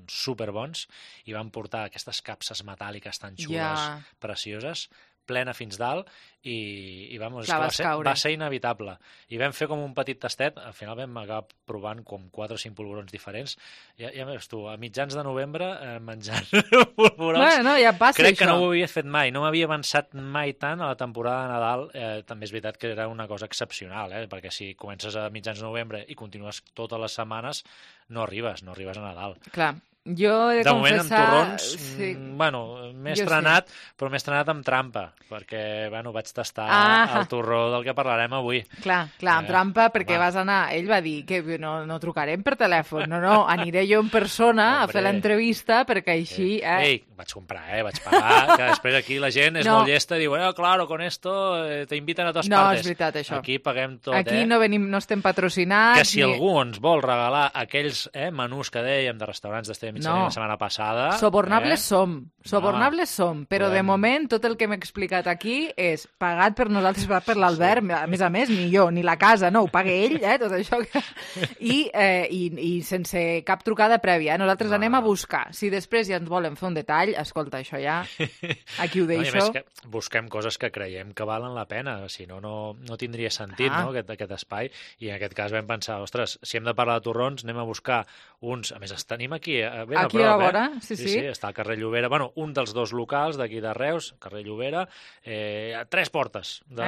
superbons i van portar aquestes capses metàl·liques tan xules, precioses, plena fins dalt, i vamos, va ser inevitable. I vam fer com un petit tastet, al final vam acabar provant com 4 o 5 polvorons diferents. Ja veus tu, a mitjans de novembre menjant polvorons. Bueno, ja passa crec que això. no ho havia fet mai, no m'havia avançat mai tant a la temporada de Nadal. També és veritat que era una cosa excepcional, perquè si comences a mitjans de novembre i continues totes les setmanes, no arribes a Nadal. Clar. Jo he de moment, confessar... amb torrons, bueno, m'he estrenat, però m'he estrenat amb trampa, perquè, bueno, vaig tastar el torró del que parlarem avui. Clar, amb trampa, perquè vas anar... Ell va dir que no trucarem per telèfon, no, aniré jo en persona a fer l'entrevista, perquè així... Ei, vaig comprar, vaig pagar, que després aquí la gent és molt llesta i diu, claro, con esto te inviten a totes partes. No, és veritat, això. Aquí paguem tot, Aquí no estem patrocinats... Que si algú ens vol regalar aquells menús que dèiem de restaurants d'Esteve Mitjanit la setmana passada... Sobornables som, però de moment tot el que m'he explicat aquí és pagat per nosaltres, per l'Albert, a més, ni jo, ni la casa, no, ho paga ell, tot això. I sense cap trucada prèvia. Nosaltres anem a buscar. Si després ja ens volen fer un detall, escolta, això ja, aquí ho deixo. A més que busquem coses que creiem que valen la pena, si no, no tindria sentit, no, aquest espai. I en aquest cas vam pensar, ostres, si hem de parlar de torrons, anem a buscar uns... A més, tenim aquí ben a prop, a vora, sí. Està al carrer Llobera, bueno, un dels 2 locals d'aquí de Reus, carrer Llobera, a 3 portes de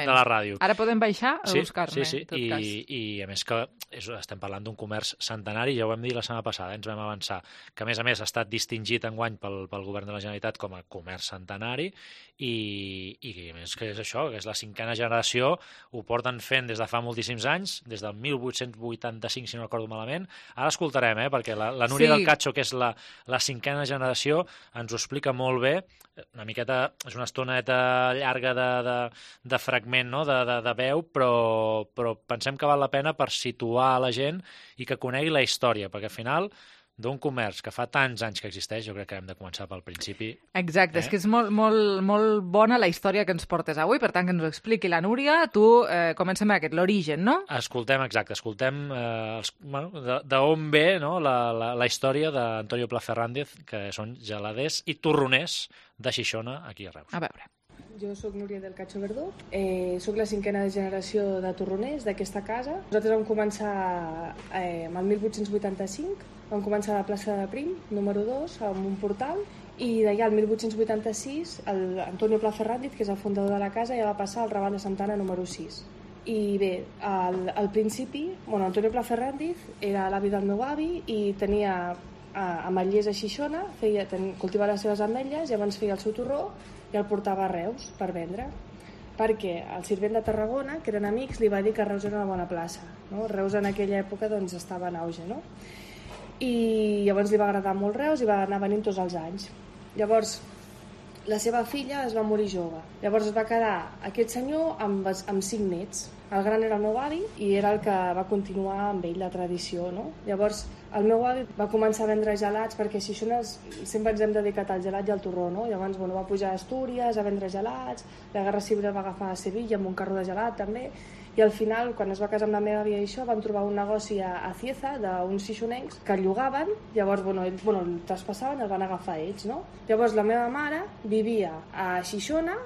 la ràdio. Ara podem baixar a buscar-ne, sí. I a més que estem parlant d'un comerç centenari, ja ho vam dir la setmana passada, ens vam avançar, que a més ha estat distingit enguany pel Govern de la Generalitat com a comerç centenari i a més que és això, que és la 5a generació, ho porten fent des de fa moltíssims anys, des del 1885, si no recordo malament. Ara escoltarem l'escoltarem, perquè la Núria del Cacho, que és la 5a generació, ens ho explica molt bé. Una miqueta, és una estoneta llarga de fragment, no? de veu, però pensem que val la pena per situar la gent i que conegui la història, perquè al final d'un comerç que fa tants anys que existeix, jo crec que hem de començar pel principi. Exacte, és que és molt bona la història que ens portes avui, per tant que ens ho expliqui la Núria. Tu comencem aquest, l'origen, no? Escoltem d'on ve la història d'Antonio Pla Fernández, que són geladers i torroners de Xixona, aquí a Reus. A veure. Jo sóc Núria del Cacho Verdú, sóc la 5a generació de torroners d'aquesta casa. Nosaltres vam començar amb el 1885, vam començar a la plaça de Prim, número 2, amb un portal, i d'allà, el 1886, Antonio Pla Fernández, que és el fundador de la casa, ja va passar al Raval de Santana número 6. I bé, al principi, Antonio Pla Fernández era l'avi del meu avi i tenia ametllers a Xixona, cultivava les seves ametlles, llavors feia el seu torró i el portava a Reus per vendre, perquè el Sirvent de Tarragona, que eren amics, li va dir que Reus era una bona plaça, no? Reus en aquella època doncs, estava en auge, no? I llavors li va agradar molt Reus i va anar venint tots els anys. Llavors la seva filla es va morir jove, llavors es va quedar aquest senyor amb 5 nets. El gran era el meu avi i era el que va continuar amb ell la tradició, no? Llavors el meu avi va començar a vendre gelats, perquè a Xixona sempre ens hem dedicat al gelat i al torró, no? Llavors va pujar a Astúries a vendre gelats, la Guerra Civil va agafar a Sevilla amb un carro de gelat també, i al final, quan es va casar amb la meva àvia i això, vam trobar un negoci a Cieza d'uns xixonencs que el llogaven, llavors ells el traspassaven, el van agafar ells, no? Llavors la meva mare vivia a Xixona,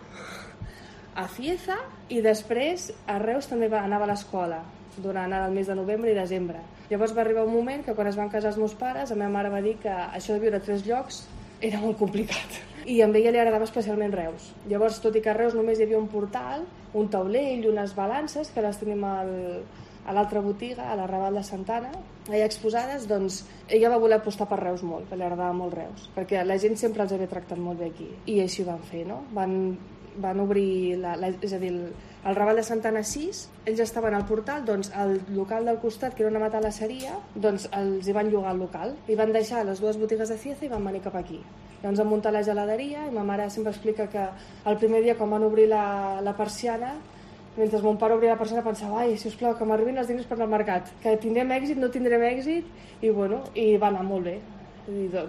a Cieza, i després a Reus també anava a l'escola durant el mes de novembre i desembre. Llavors va arribar un moment que quan es van casar els meus pares, la meva mare va dir que això de viure a 3 llocs era molt complicat. I a ella li agradava especialment Reus. Llavors, tot i que a Reus només hi havia un portal, un taulell, unes balances, que les tenim a l'altra botiga, a la Raval de Santana, allà exposades, doncs ella va voler apostar per Reus molt, perquè li agradava molt Reus, perquè la gent sempre els havia tractat molt bé aquí. I així ho van fer, no? Van obrir, és a dir, el Raval de Santana 6, ells estaven al portal, doncs el local del costat, que era una matalasseria, doncs els hi van llogar el local, i van deixar les 2 botigues de Cieza i van venir cap aquí. Llavors van muntar la geladeria, i ma mare sempre explica que el primer dia quan van obrir la persiana, mentre mon pare obria la persiana pensava, ai, sisplau, que m'arribin els diners per al mercat, que tindrem èxit, no tindrem èxit, i va anar molt bé.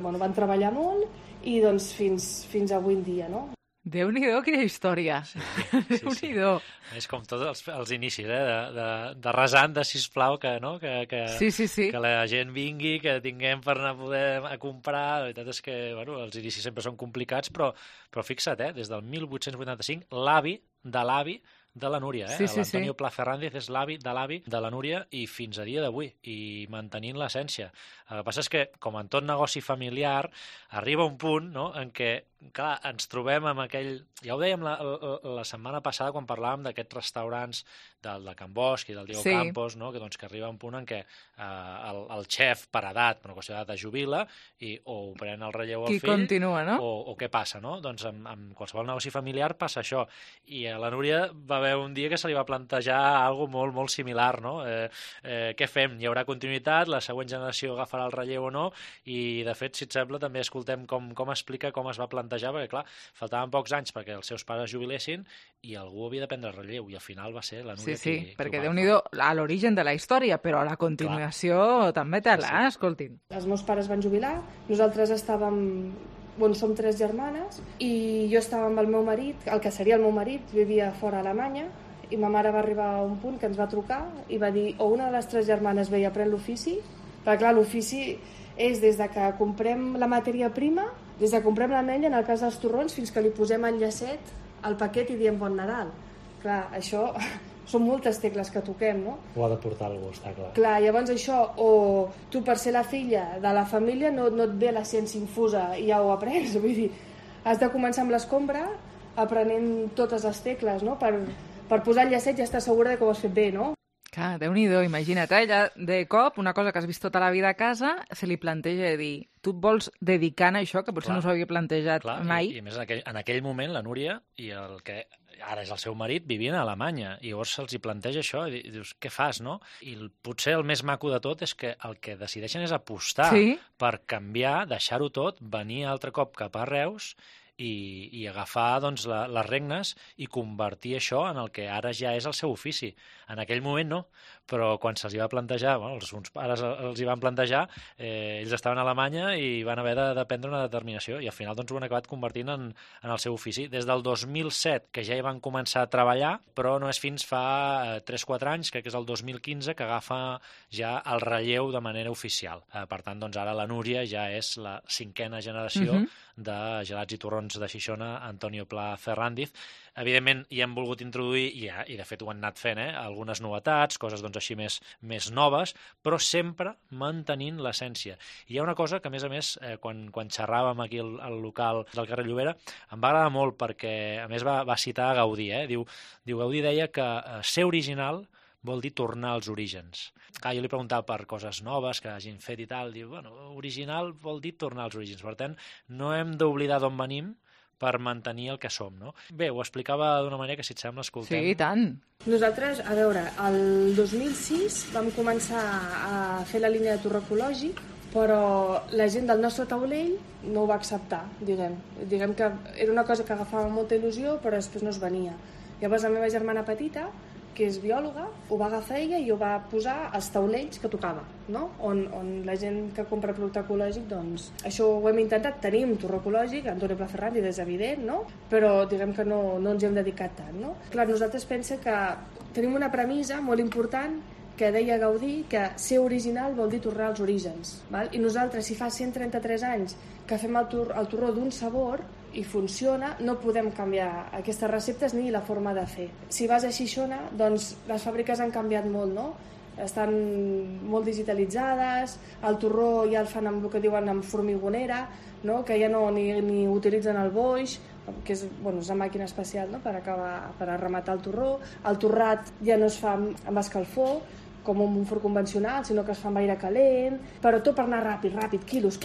Van treballar molt, i doncs fins avui en dia, no? Déu-n'hi-do, quina història. Sí. Déu-n'hi-do. És com tots els inicis, de resant de sisplau que la gent vingui, que tinguem per anar a poder comprar. La veritat és que els inicis sempre són complicats, però fixa't, des del 1885, l'avi de l'avi de la Núria, l'Antonio Pla Fernández és l'avi de la Núria i fins a dia d'avui, i mantenint l'essència. El que passa és que, com en tot negoci familiar, arriba un punt en què, clar, ens trobem amb aquell... Ja ho dèiem la setmana passada quan parlàvem d'aquests restaurants del de Can Bosch i del Diego Campos, que arriba un punt en què el xef per edat, per una qüestió d'edat, es jubila i o ho pren el relleu al fill continua, no? o què passa, no? Doncs amb qualsevol negoci familiar passa això. I a la Núria va haver un dia que se li va plantejar alguna molt, molt similar, no? Què fem? Hi haurà continuïtat? La següent generació agafarà el relleu o no? I, de fet, si et sembla, també escoltem com explica com es va plantejar, perquè, clar, faltaven pocs anys perquè els seus pares jubilessin i algú havia de prendre el relleu, i al final va ser la Núria qui perquè Déu-n'hi-do a l'origen de la història, però a la continuació també té-la, escoltin. Els meus pares van jubilar, nosaltres estàvem... som 3 germanes, i jo estava amb el meu marit, el que seria el meu marit, vivia fora a Alemanya, i ma mare va arribar a un punt que ens va trucar i va dir, o una de les 3 germanes ve i aprèn l'ofici, perquè clar, l'ofici és des de que comprem la matèria prima, des de que comprem l'ametlla, en el cas dels torrons, fins que li posem el llacet al paquet i diem Bon Nadal. Clar, això són moltes tecles que toquem, no? Ho ha de portar algú, està clar. Clar, llavors això, o tu per ser la filla de la família no et ve la ciència infusa i ja ho aprens, vull dir, has de començar amb l'escombra aprenent totes les tecles, no? Per posar el llacet ja estàs segura que ho has fet bé, no? Clar, Déu-n'hi-do, imagina't, ella de cop, una cosa que has vist tota la vida a casa, se li planteja de dir, tu et vols dedicar a això, que potser no s'ho havia plantejat mai? I a més, en aquell moment, la Núria i el que ara és el seu marit vivien a Alemanya, i llavors se'ls hi planteja això, i dius, què fas, no? I potser el més maco de tot és que el que decideixen és apostar per canviar, deixar-ho tot, venir altre cop cap a Reus i agafar doncs, les regnes i convertir això en el que ara ja és el seu ofici. En aquell moment no, però quan se'ls hi va plantejar, els seus pares els hi van plantejar, ells estaven a Alemanya i van haver de prendre una determinació i al final doncs, ho han acabat convertint en el seu ofici. Des del 2007, que ja hi van començar a treballar, però no és fins fa 3-4 anys, crec que és el 2015, que agafa ja el relleu de manera oficial. Per tant, doncs, ara la Núria ja és la 5a generació de gelats i torrons de Xixona, Antonio Pla Ferrandiz. Evidentment, hi hem volgut introduir, i de fet ho han anat fent, algunes novetats, coses doncs, així més noves, però sempre mantenint l'essència. I hi ha una cosa que, a més, quan xerràvem aquí al local del carrer Llobera, em va agradar molt perquè, a més, va citar Gaudí. Diu, Gaudí deia que ser original vol dir tornar als orígens. Jo li preguntava per coses noves que hagin fet i tal, diu, original vol dir tornar als orígens. Per tant, no hem d'oblidar d'on venim per mantenir el que som, no? Bé, ho explicava d'una manera que, si et sembla, escoltem. Sí, i tant. Nosaltres, a veure, el 2006 vam començar a fer la línia de torró ecològic, però la gent del nostre taulell no ho va acceptar, diguem. Diguem que era una cosa que agafava molta il·lusió, però després no es venia. Llavors la meva germana petita, que és biòloga, ho va agafar ella i ho va posar als taulells que tocava, no? On la gent que compra producte ecològic, doncs, això ho hem intentat, tenim torró ecològic, Antonio Pla Ferrandiz és evident, no? Però diguem que no ens hi hem dedicat tant, no? Clar, nosaltres pensem que tenim una premissa molt important que deia Gaudí, que ser original vol dir tornar als orígens, val? I nosaltres, si fa 133 anys que fem el torró d'un sabor i funciona, no podem canviar aquestes receptes ni la forma de fer. Si vas a Xixona, doncs les fàbriques han canviat molt, no? Estan molt digitalitzades, el torró ja el fan amb el que diuen amb formigonera, no? Que ja no ni utilitzen el boix, que és una màquina especial, no? per rematar el torró. El torrat ja no es fa amb escalfor, com un forn convencional, sinó que es fa amb aire calent, però tot per anar ràpid, quilos.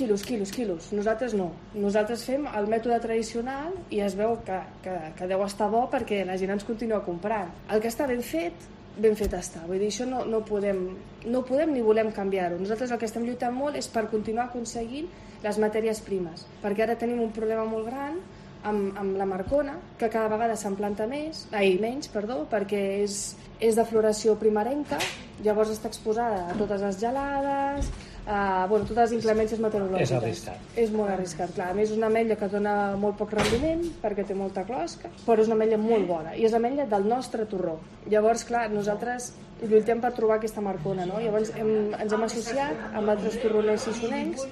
Nosaltres no. Nosaltres fem el mètode tradicional i es veu que deu estar bo perquè la gent ens continua comprant. El que està ben fet està. Vull dir, això no podem ni volem canviar-ho. Nosaltres el que estem lluitant molt és per continuar aconseguint les matèries primes, perquè ara tenim un problema molt gran amb la marcona, que cada vegada se'n planta menys, perquè és de floració primerenca, llavors està exposada a totes les gelades, totes les inclemències meteorològiques. És arriscat. És molt arriscat, clar. A més, és una ametlla que dona molt poc rendiment, perquè té molta closca, però és una ametlla molt bona, i és l'ametlla del nostre torró. Llavors, clar, nosaltres lluitem per trobar aquesta marcona, no? Llavors ens hem associat amb altres torroners xixonencs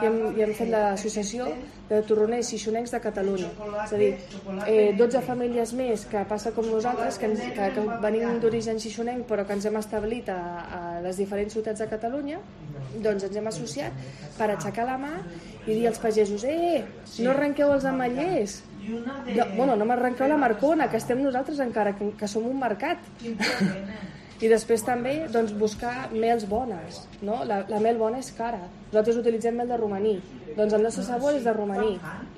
i hem fet l'associació de torroners xixonencs de Catalunya. És a dir, 12 famílies més que passa com nosaltres, que venim d'origen xixonenc però que ens hem establit a les diferents ciutats de Catalunya, doncs ens hem associat per aixecar la mà i dir als pagesos, no arrenqueu els ametllers, no m'arrenqueu la marcona, que estem nosaltres encara, que som un mercat. I després també buscar mels bones, no? La mel bona és cara. Nosaltres utilitzem mel de romaní, doncs el nostre sabor és de romaní.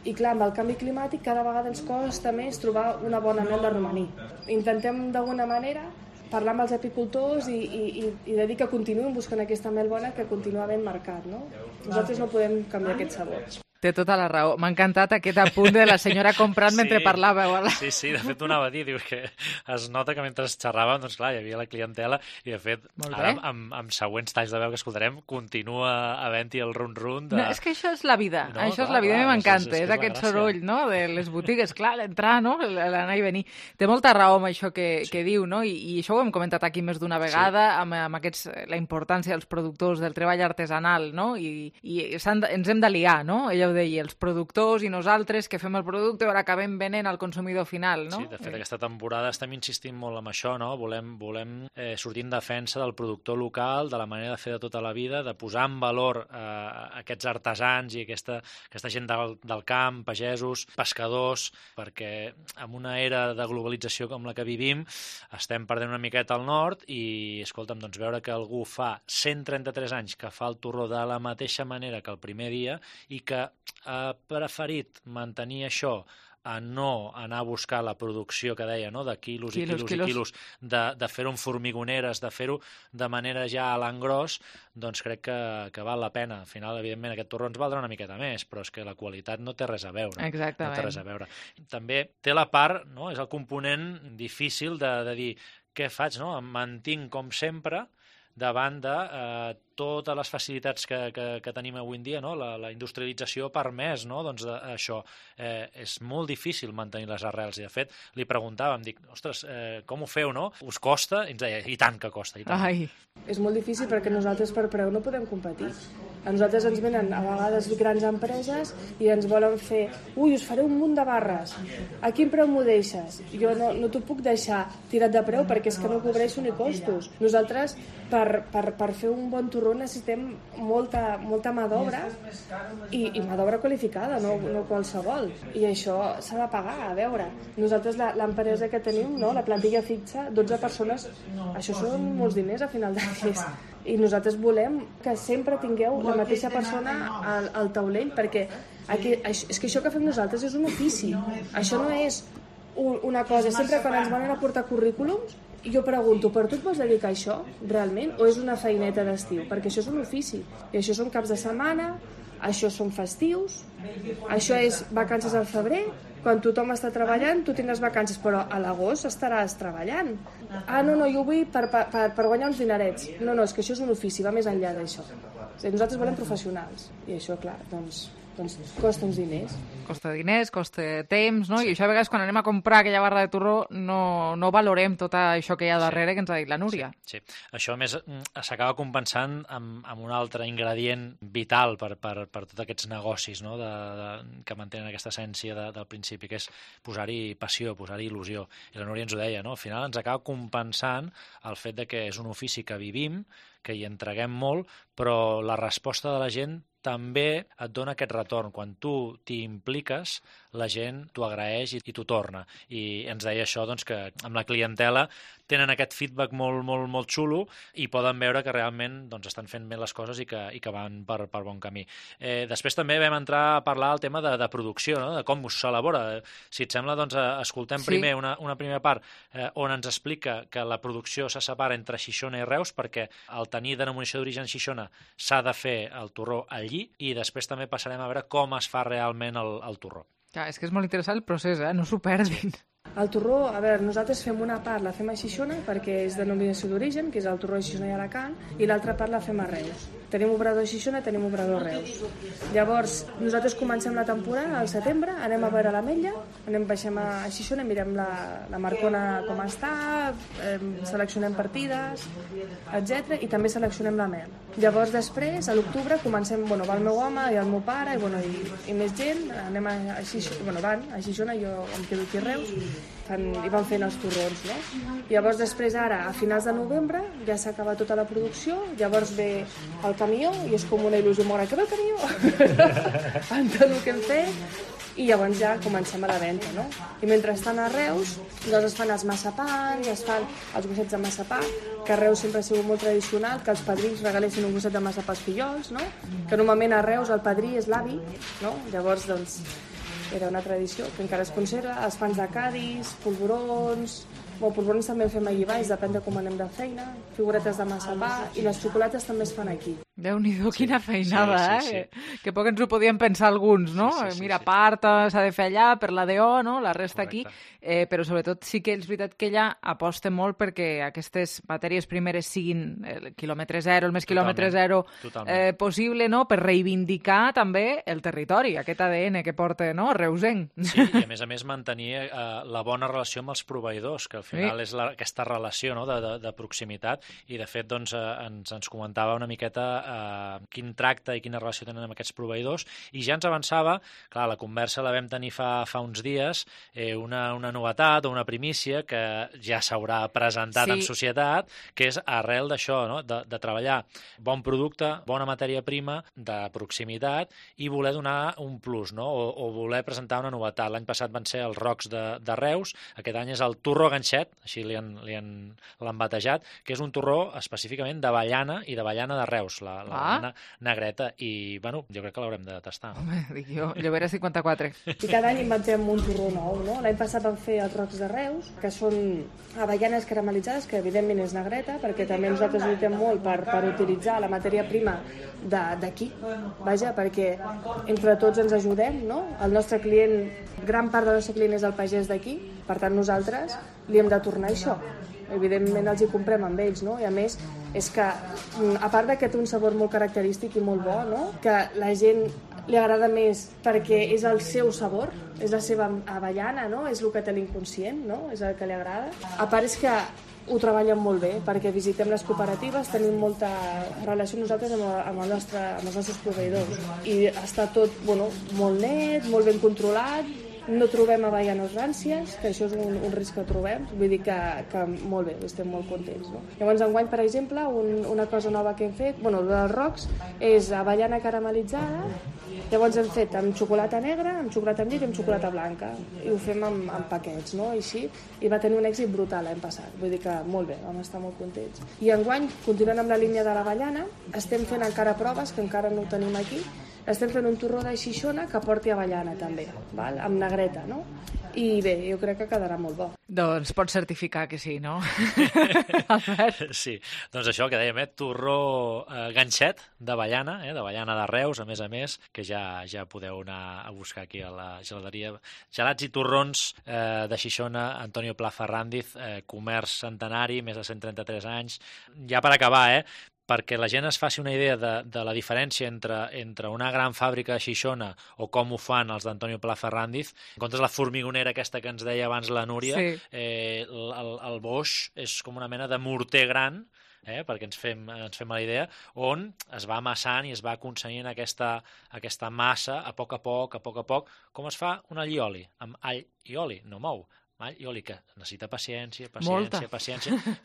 I clar, amb el canvi climàtic cada vegada ens costa més trobar una bona mel de romaní. Intentem d'alguna manera parlar amb els apicultors i de dir que continuïn buscant aquesta mel bona, que continua ben mercat, no? Nosaltres no podem canviar aquest sabor. Té tota la raó. M'ha encantat aquest apunt de la senyora comprant mentre parlàveu. Sí, de fet ho anava a dir, dius que es nota que mentre xerràvem, doncs clar, hi havia la clientela i de fet, ara amb següents talls de veu que escoltarem, continua havent-hi el run-run de... No, és que això és la vida, això és la vida, m'encanta, és aquest soroll, no?, de les botigues, clar, l'entrar, no?, l'anar i venir. Té molta raó amb això que diu, no?, i això ho hem comentat aquí més d'una vegada, amb la importància dels productors del treball artesanal, no?, i ens hem d'aliar, no?, ella ja ho deia, els productors i nosaltres que fem el producte o acabem venent al consumidor final, no? Sí, de fet, aquesta temporada estem insistint molt en això, no? Volem sortir en defensa del productor local, de la manera de fer de tota la vida, de posar en valor aquests artesans i aquesta gent del camp, pagesos, pescadors, perquè en una era de globalització com la que vivim estem perdent una miqueta al nord i, escolta'm, doncs veure que algú fa 133 anys que fa el torró de la mateixa manera que el primer dia i que ha preferit mantenir això a no anar a buscar la producció que deia, no? De quilos i quilos, de fer-ho en formigoneres, de fer-ho de manera ja a l'engròs, doncs crec que val la pena. Al final, evidentment, aquest torró ens valdrà una miqueta més, però és que la qualitat no té res a veure. Exactament. No té res a veure. També té la part, no? És el component difícil de dir què faig, no? Em mantinc com sempre davant de totes les facilitats que tenim avui en dia, no? La industrialització ha permès, no? Doncs això és molt difícil mantenir les arrels i de fet li preguntàvem, dic, ostres, com ho feu, no? Us costa? I ens deia, i tant que costa, i tant. Ai. És molt difícil perquè nosaltres per preu no podem competir. A nosaltres ens venen a vegades grans empreses i ens volen fer, us faré un munt de barres, a quin preu m'ho deixes? Jo no t'ho puc deixar tirat de preu perquè és que no cobreixo ni costos. Nosaltres per fer un bon torró necessitem molta mà d'obra i mà d'obra qualificada, no qualsevol. I això s'ha de pagar, a veure. Nosaltres l'empresa que tenim, no? La plantilla fixa, 12 persones, això són molts diners a final de mes. I nosaltres volem que sempre tingueu la mateixa persona al taulell, perquè és que això que fem nosaltres és un ofici. Això no és una cosa. Sempre quan ens van a portar currículums, jo pregunto, per tu et vols dedicar a això, realment? O és una feineta d'estiu? Perquè això és un ofici. I això són caps de setmana, això són festius, això és vacances al febrer, quan tothom està treballant, tu tindràs vacances, però a l'agost estaràs treballant. No, jo vull per guanyar uns dinerets. No, és que això és un ofici, va més enllà d'això. Nosaltres volem professionals, i això, clar, doncs costa uns diners. Costa diners, costa temps, no? I això a vegades quan anem a comprar aquella barra de torró no valorem tot això que hi ha darrere que ens ha dit la Núria. Sí. Això a més s'acaba compensant amb un altre ingredient vital per tots aquests negocis, no? Que mantenen aquesta essència del principi, que és posar-hi passió, posar-hi il·lusió. I la Núria ens ho deia, no? Al final ens acaba compensant el fet de que és un ofici que vivim, que hi entreguem molt, però la resposta de la gent també et dona aquest retorn. Quan tu t'hi impliques, la gent t'ho agraeix i t'ho torna. I ens deia això, doncs, que amb la clientela tenen aquest feedback molt, molt, molt xulo i poden veure que realment doncs, estan fent bé les coses i que van per bon camí. Després també vam entrar a parlar del tema de producció, no? De com s'elabora. Si et sembla, doncs, escoltem primer una primera part on ens explica que la producció se separa entre Xixona i Reus, perquè al tenir denominació d'origen Xixona s'ha de fer el torró allí, i després també passarem a veure com es fa realment el torró. Clar, és que és molt interessant el procés, no s'ho perdin. El torró, a veure, nosaltres fem una part, la fem a Xixona perquè és denominació d'origen, que és el torró de Xixona i Alacant, i l'altra part la fem a Reus. Tenim obrador a Xixona, tenim obrador a Reus. Llavors, nosaltres comencem la temporada al setembre, anem a veure l'ametlla, baixem a Xixona, mirem la marcona com està, seleccionem partides, etc. I també seleccionem la mel. Llavors, després, a l'octubre, comencem, va el meu home i el meu pare i més gent, anem a Xixona, van a Xixona, jo em quedo aquí a Reus, i van fent els torrons, no? Llavors després ara, a finals de novembre, ja s'acaba tota la producció, llavors ve el camió i és com una il·lusió molt gran, que ve el camió! Amb tot el que hem fet, i llavors ja comencem a la venda, no? I mentre estan a Reus, doncs es fan els massapans, es fan els gossets de massapà, que a Reus sempre ha sigut molt tradicional, que els padrins regalessin un gosset de massapà als fillols, no? Que normalment a Reus el padrí és l'avi, no? Llavors, doncs, era una tradició que encara es conserva, els pans de Cadis, polvorons, polvorons també en fem allí baix, depèn de com anem de feina, figuretes de massapà, i les xocolates també es fan aquí. Déu-n'hi-do, quina feinada, sí. Que poc ens ho podíem pensar alguns, no? Mira, part s'ha de fer allà, per la DO, no? La resta aquí, però sobretot sí que és veritat que ella aposta molt perquè aquestes matèries primeres siguin el quilòmetre zero, el més quilòmetre zero possible, no? Per reivindicar també el territori, aquest ADN que porta, no? Reusenc. Sí, i a més mantenir la bona relació amb els proveïdors, que al final és aquesta relació, no?, de proximitat, i de fet doncs, ens comentava una miqueta quin tracte i quina relació tenen amb aquests proveïdors, i ja ens avançava, clar, la conversa la vam tenir fa uns dies, una novetat o una primícia que ja s'haurà presentat en societat, que és arrel d'això, no?, de treballar bon producte, bona matèria prima, de proximitat, i voler donar un plus, no?, o voler presentar una novetat. L'any passat van ser els rocs de Reus, aquest any és el turró ganxet, així l'han batejat, que és un turró específicament d'avellana i d'avellana de Reus, l'avellana negreta, i bueno, jo crec que l'haurem de tastar. Home, dic jo, Llobera 54. I cada any inventem un turró nou, no? L'any passat vam fer els rocs de Reus, que són avellanes caramelitzades, que evidentment és negreta, perquè també nosaltres lluitem molt per utilitzar la matèria prima d'aquí, vaja, perquè entre tots ens ajudem, no? El nostre client, gran part del nostre client és el pagès d'aquí, per tant nosaltres li hem de tornar això. Evidentment els hi comprem amb ells, no? I a més és que, a part que té un sabor molt característic i molt bo, no?, que la gent li agrada més perquè és el seu sabor, és la seva avellana, no?, és el que té l'inconscient, no?, és el que li agrada. A part és que ho treballen molt bé, perquè visitem les cooperatives, tenim molta relació nosaltres amb els nostres proveïdors, i està tot molt net, molt ben controlat, no trobem avellanes ràncies, que això és un risc que trobem, vull dir que molt bé, estem molt contents, no? Llavors, enguany, per exemple, una cosa nova que hem fet, dels rocs, és avellana caramelitzada, llavors hem fet amb xocolata negra, amb xocolata amb llet i amb xocolata blanca, i ho fem amb paquets, no?, així, i va tenir un èxit brutal l'any passat, vull dir que molt bé, vam estar molt contents. I enguany, continuant amb la línia de l'avellana, estem fent encara proves, que encara no ho tenim aquí, estem fent un torró de Xixona que porti avellana també, val? Amb negreta, no? I bé, jo crec que quedarà molt bo. Doncs pots certificar que sí, no? Sí, doncs això que dèiem, torró ganxet d'avellana, d'avellana de Reus, a més, que ja podeu anar a buscar aquí a la gelateria. Gelats i torrons de Xixona, Antonio Pla Ferrandiz, comerç centenari, més de 133 anys. Ja per acabar, perquè la gent es faci una idea de la diferència entre una gran fàbrica de Xixona o com ho fan els d'Antonio Pla Ferrandiz. En comptes de la formigonera aquesta que ens deia abans la Núria, el boix és com una mena de morter gran, perquè ens fem la idea, on es va amassant i es va aconseguint aquesta massa a poc a poc, com es fa un all i oli, amb all i oli, no mou. All i oli que necessita paciència,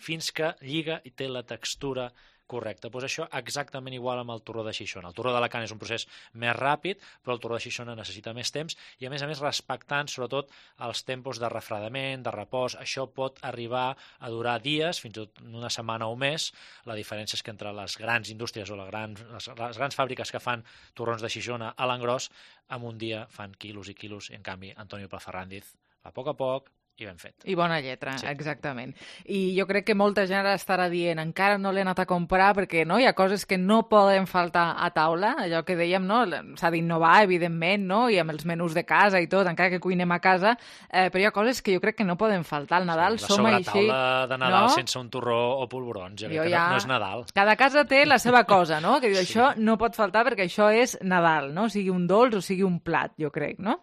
fins que lliga i té la textura correcte. Doncs això exactament igual amb el torró de Xixona. El torró d'Alacant és un procés més ràpid, però el torró de Xixona necessita més temps i, a més respectant sobretot els tempos de refredament, de repòs. Això pot arribar a durar dies, fins i tot una setmana o més. La diferència és que entre les grans indústries o les grans fàbriques que fan torrons de Xixona a l'engròs, en un dia fan quilos i quilos, i en canvi Antonio Pla Ferrandiz a poc i ben fet. I bona lletra, exactament. I jo crec que molta gent estarà dient encara no l'he anat a comprar perquè no hi ha coses que no poden faltar a taula, allò que dèiem, no? S'ha d'innovar, evidentment, no? I amb els menús de casa i tot, encara que cuinem a casa, però hi ha coses que jo crec que no poden faltar. Al Nadal som així... La sobretaula de Nadal sense un torró o polvorons, jo crec que no és Nadal. Cada casa té la seva cosa, no? Que diu, això no pot faltar perquè això és Nadal, no? Sigui un dolç o sigui un plat, jo crec, no?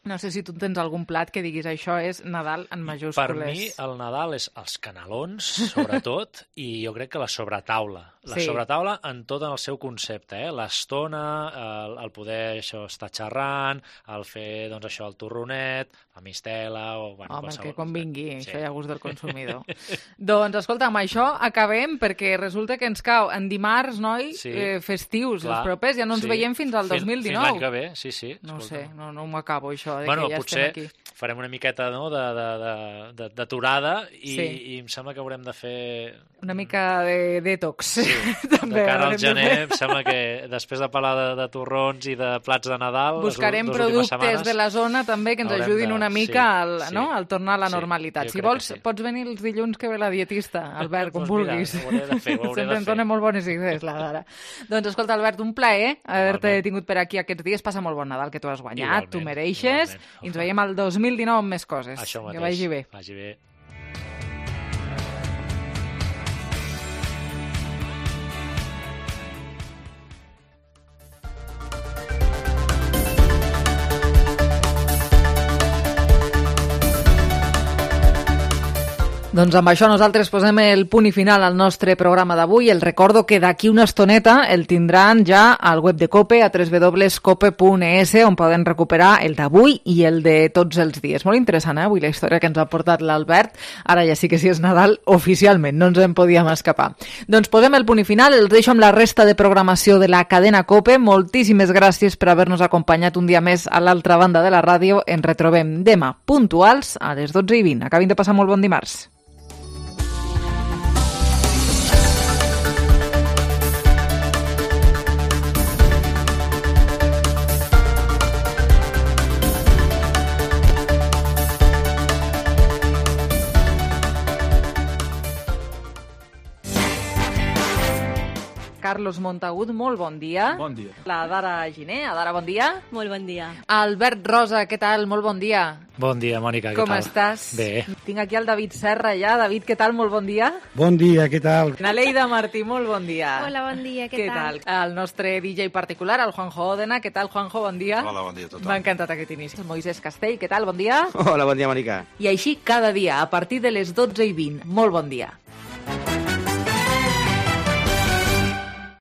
No sé si tu tens algun plat que diguis això és Nadal en majúscules. Per mi el Nadal és els canelons, sobretot, i jo crec que la sobretaula. La sobretaula en tot el seu concepte, l'estona, el poder estar xerrant, el fer això, el torronet, la mistela... Home, que convingui, això hi ha gust del consumidor. Doncs, escolta, amb això acabem, perquè resulta que ens cau en dimarts, noi, festius, els propers, ja no ens veiem fins al 2019. Fins l'any que ve, sí. No sé, no m'ho acabo, això. Bueno, potser farem una miqueta d'aturada i em sembla que haurem de fer... Una mica de detox. Sí, de cara al gener, em sembla que després de parlar de torrons i de plats de Nadal... Buscarem productes de la zona també que ens ajudin una mica al tornar a la normalitat. Si vols, pots venir els dilluns que ve la dietista, Albert, com vulguis. Ho hauré de fer. Sempre ens dona molt bones idees, la Lara. Doncs escolta, Albert, un plaer haver-te tingut per aquí aquests dies. Passa molt bon Nadal, que tu has guanyat, tu mereixes. I ens veiem al 2019 amb més coses. Això mateix. Que vagi bé. Vagi bé. Doncs amb això nosaltres posem el punt i final al nostre programa d'avui. El recordo que d'aquí una estoneta el tindran ja al web de COPE, a www.cope.es, on poden recuperar el d'avui i el de tots els dies. Molt interessant, avui la història que ens ha portat l'Albert. Ara ja sí que és Nadal oficialment, no ens en podíem escapar. Doncs posem el punt i final, els deixo amb la resta de programació de la cadena COPE. Moltíssimes gràcies per haver-nos acompanyat un dia més a l'altra banda de la ràdio. Ens retrobem demà puntuals a les 12:20. Acabin de passar molt bon dimarts. Carlos Montagut, molt bon dia. Bon dia. La Dara Giner, Adara, bon dia. Molt bon dia. Albert Rosa, què tal? Molt bon dia. Bon dia, Mònica, què tal? Com estàs? Bé. Tinc aquí el David Serra ja. David, què tal? Molt bon dia. Bon dia, què tal? Naleida Martí, molt bon dia. Hola, bon dia, què tal? El nostre DJ particular, el Juanjo Òdena, què tal, Juanjo? Bon dia. Hola, bon dia a tothom. M'ha encantat aquest inici. El Moisés Castell, què tal? Bon dia. Hola, bon dia, Mònica. I així cada dia, a partir de les 12:20. Molt bon dia.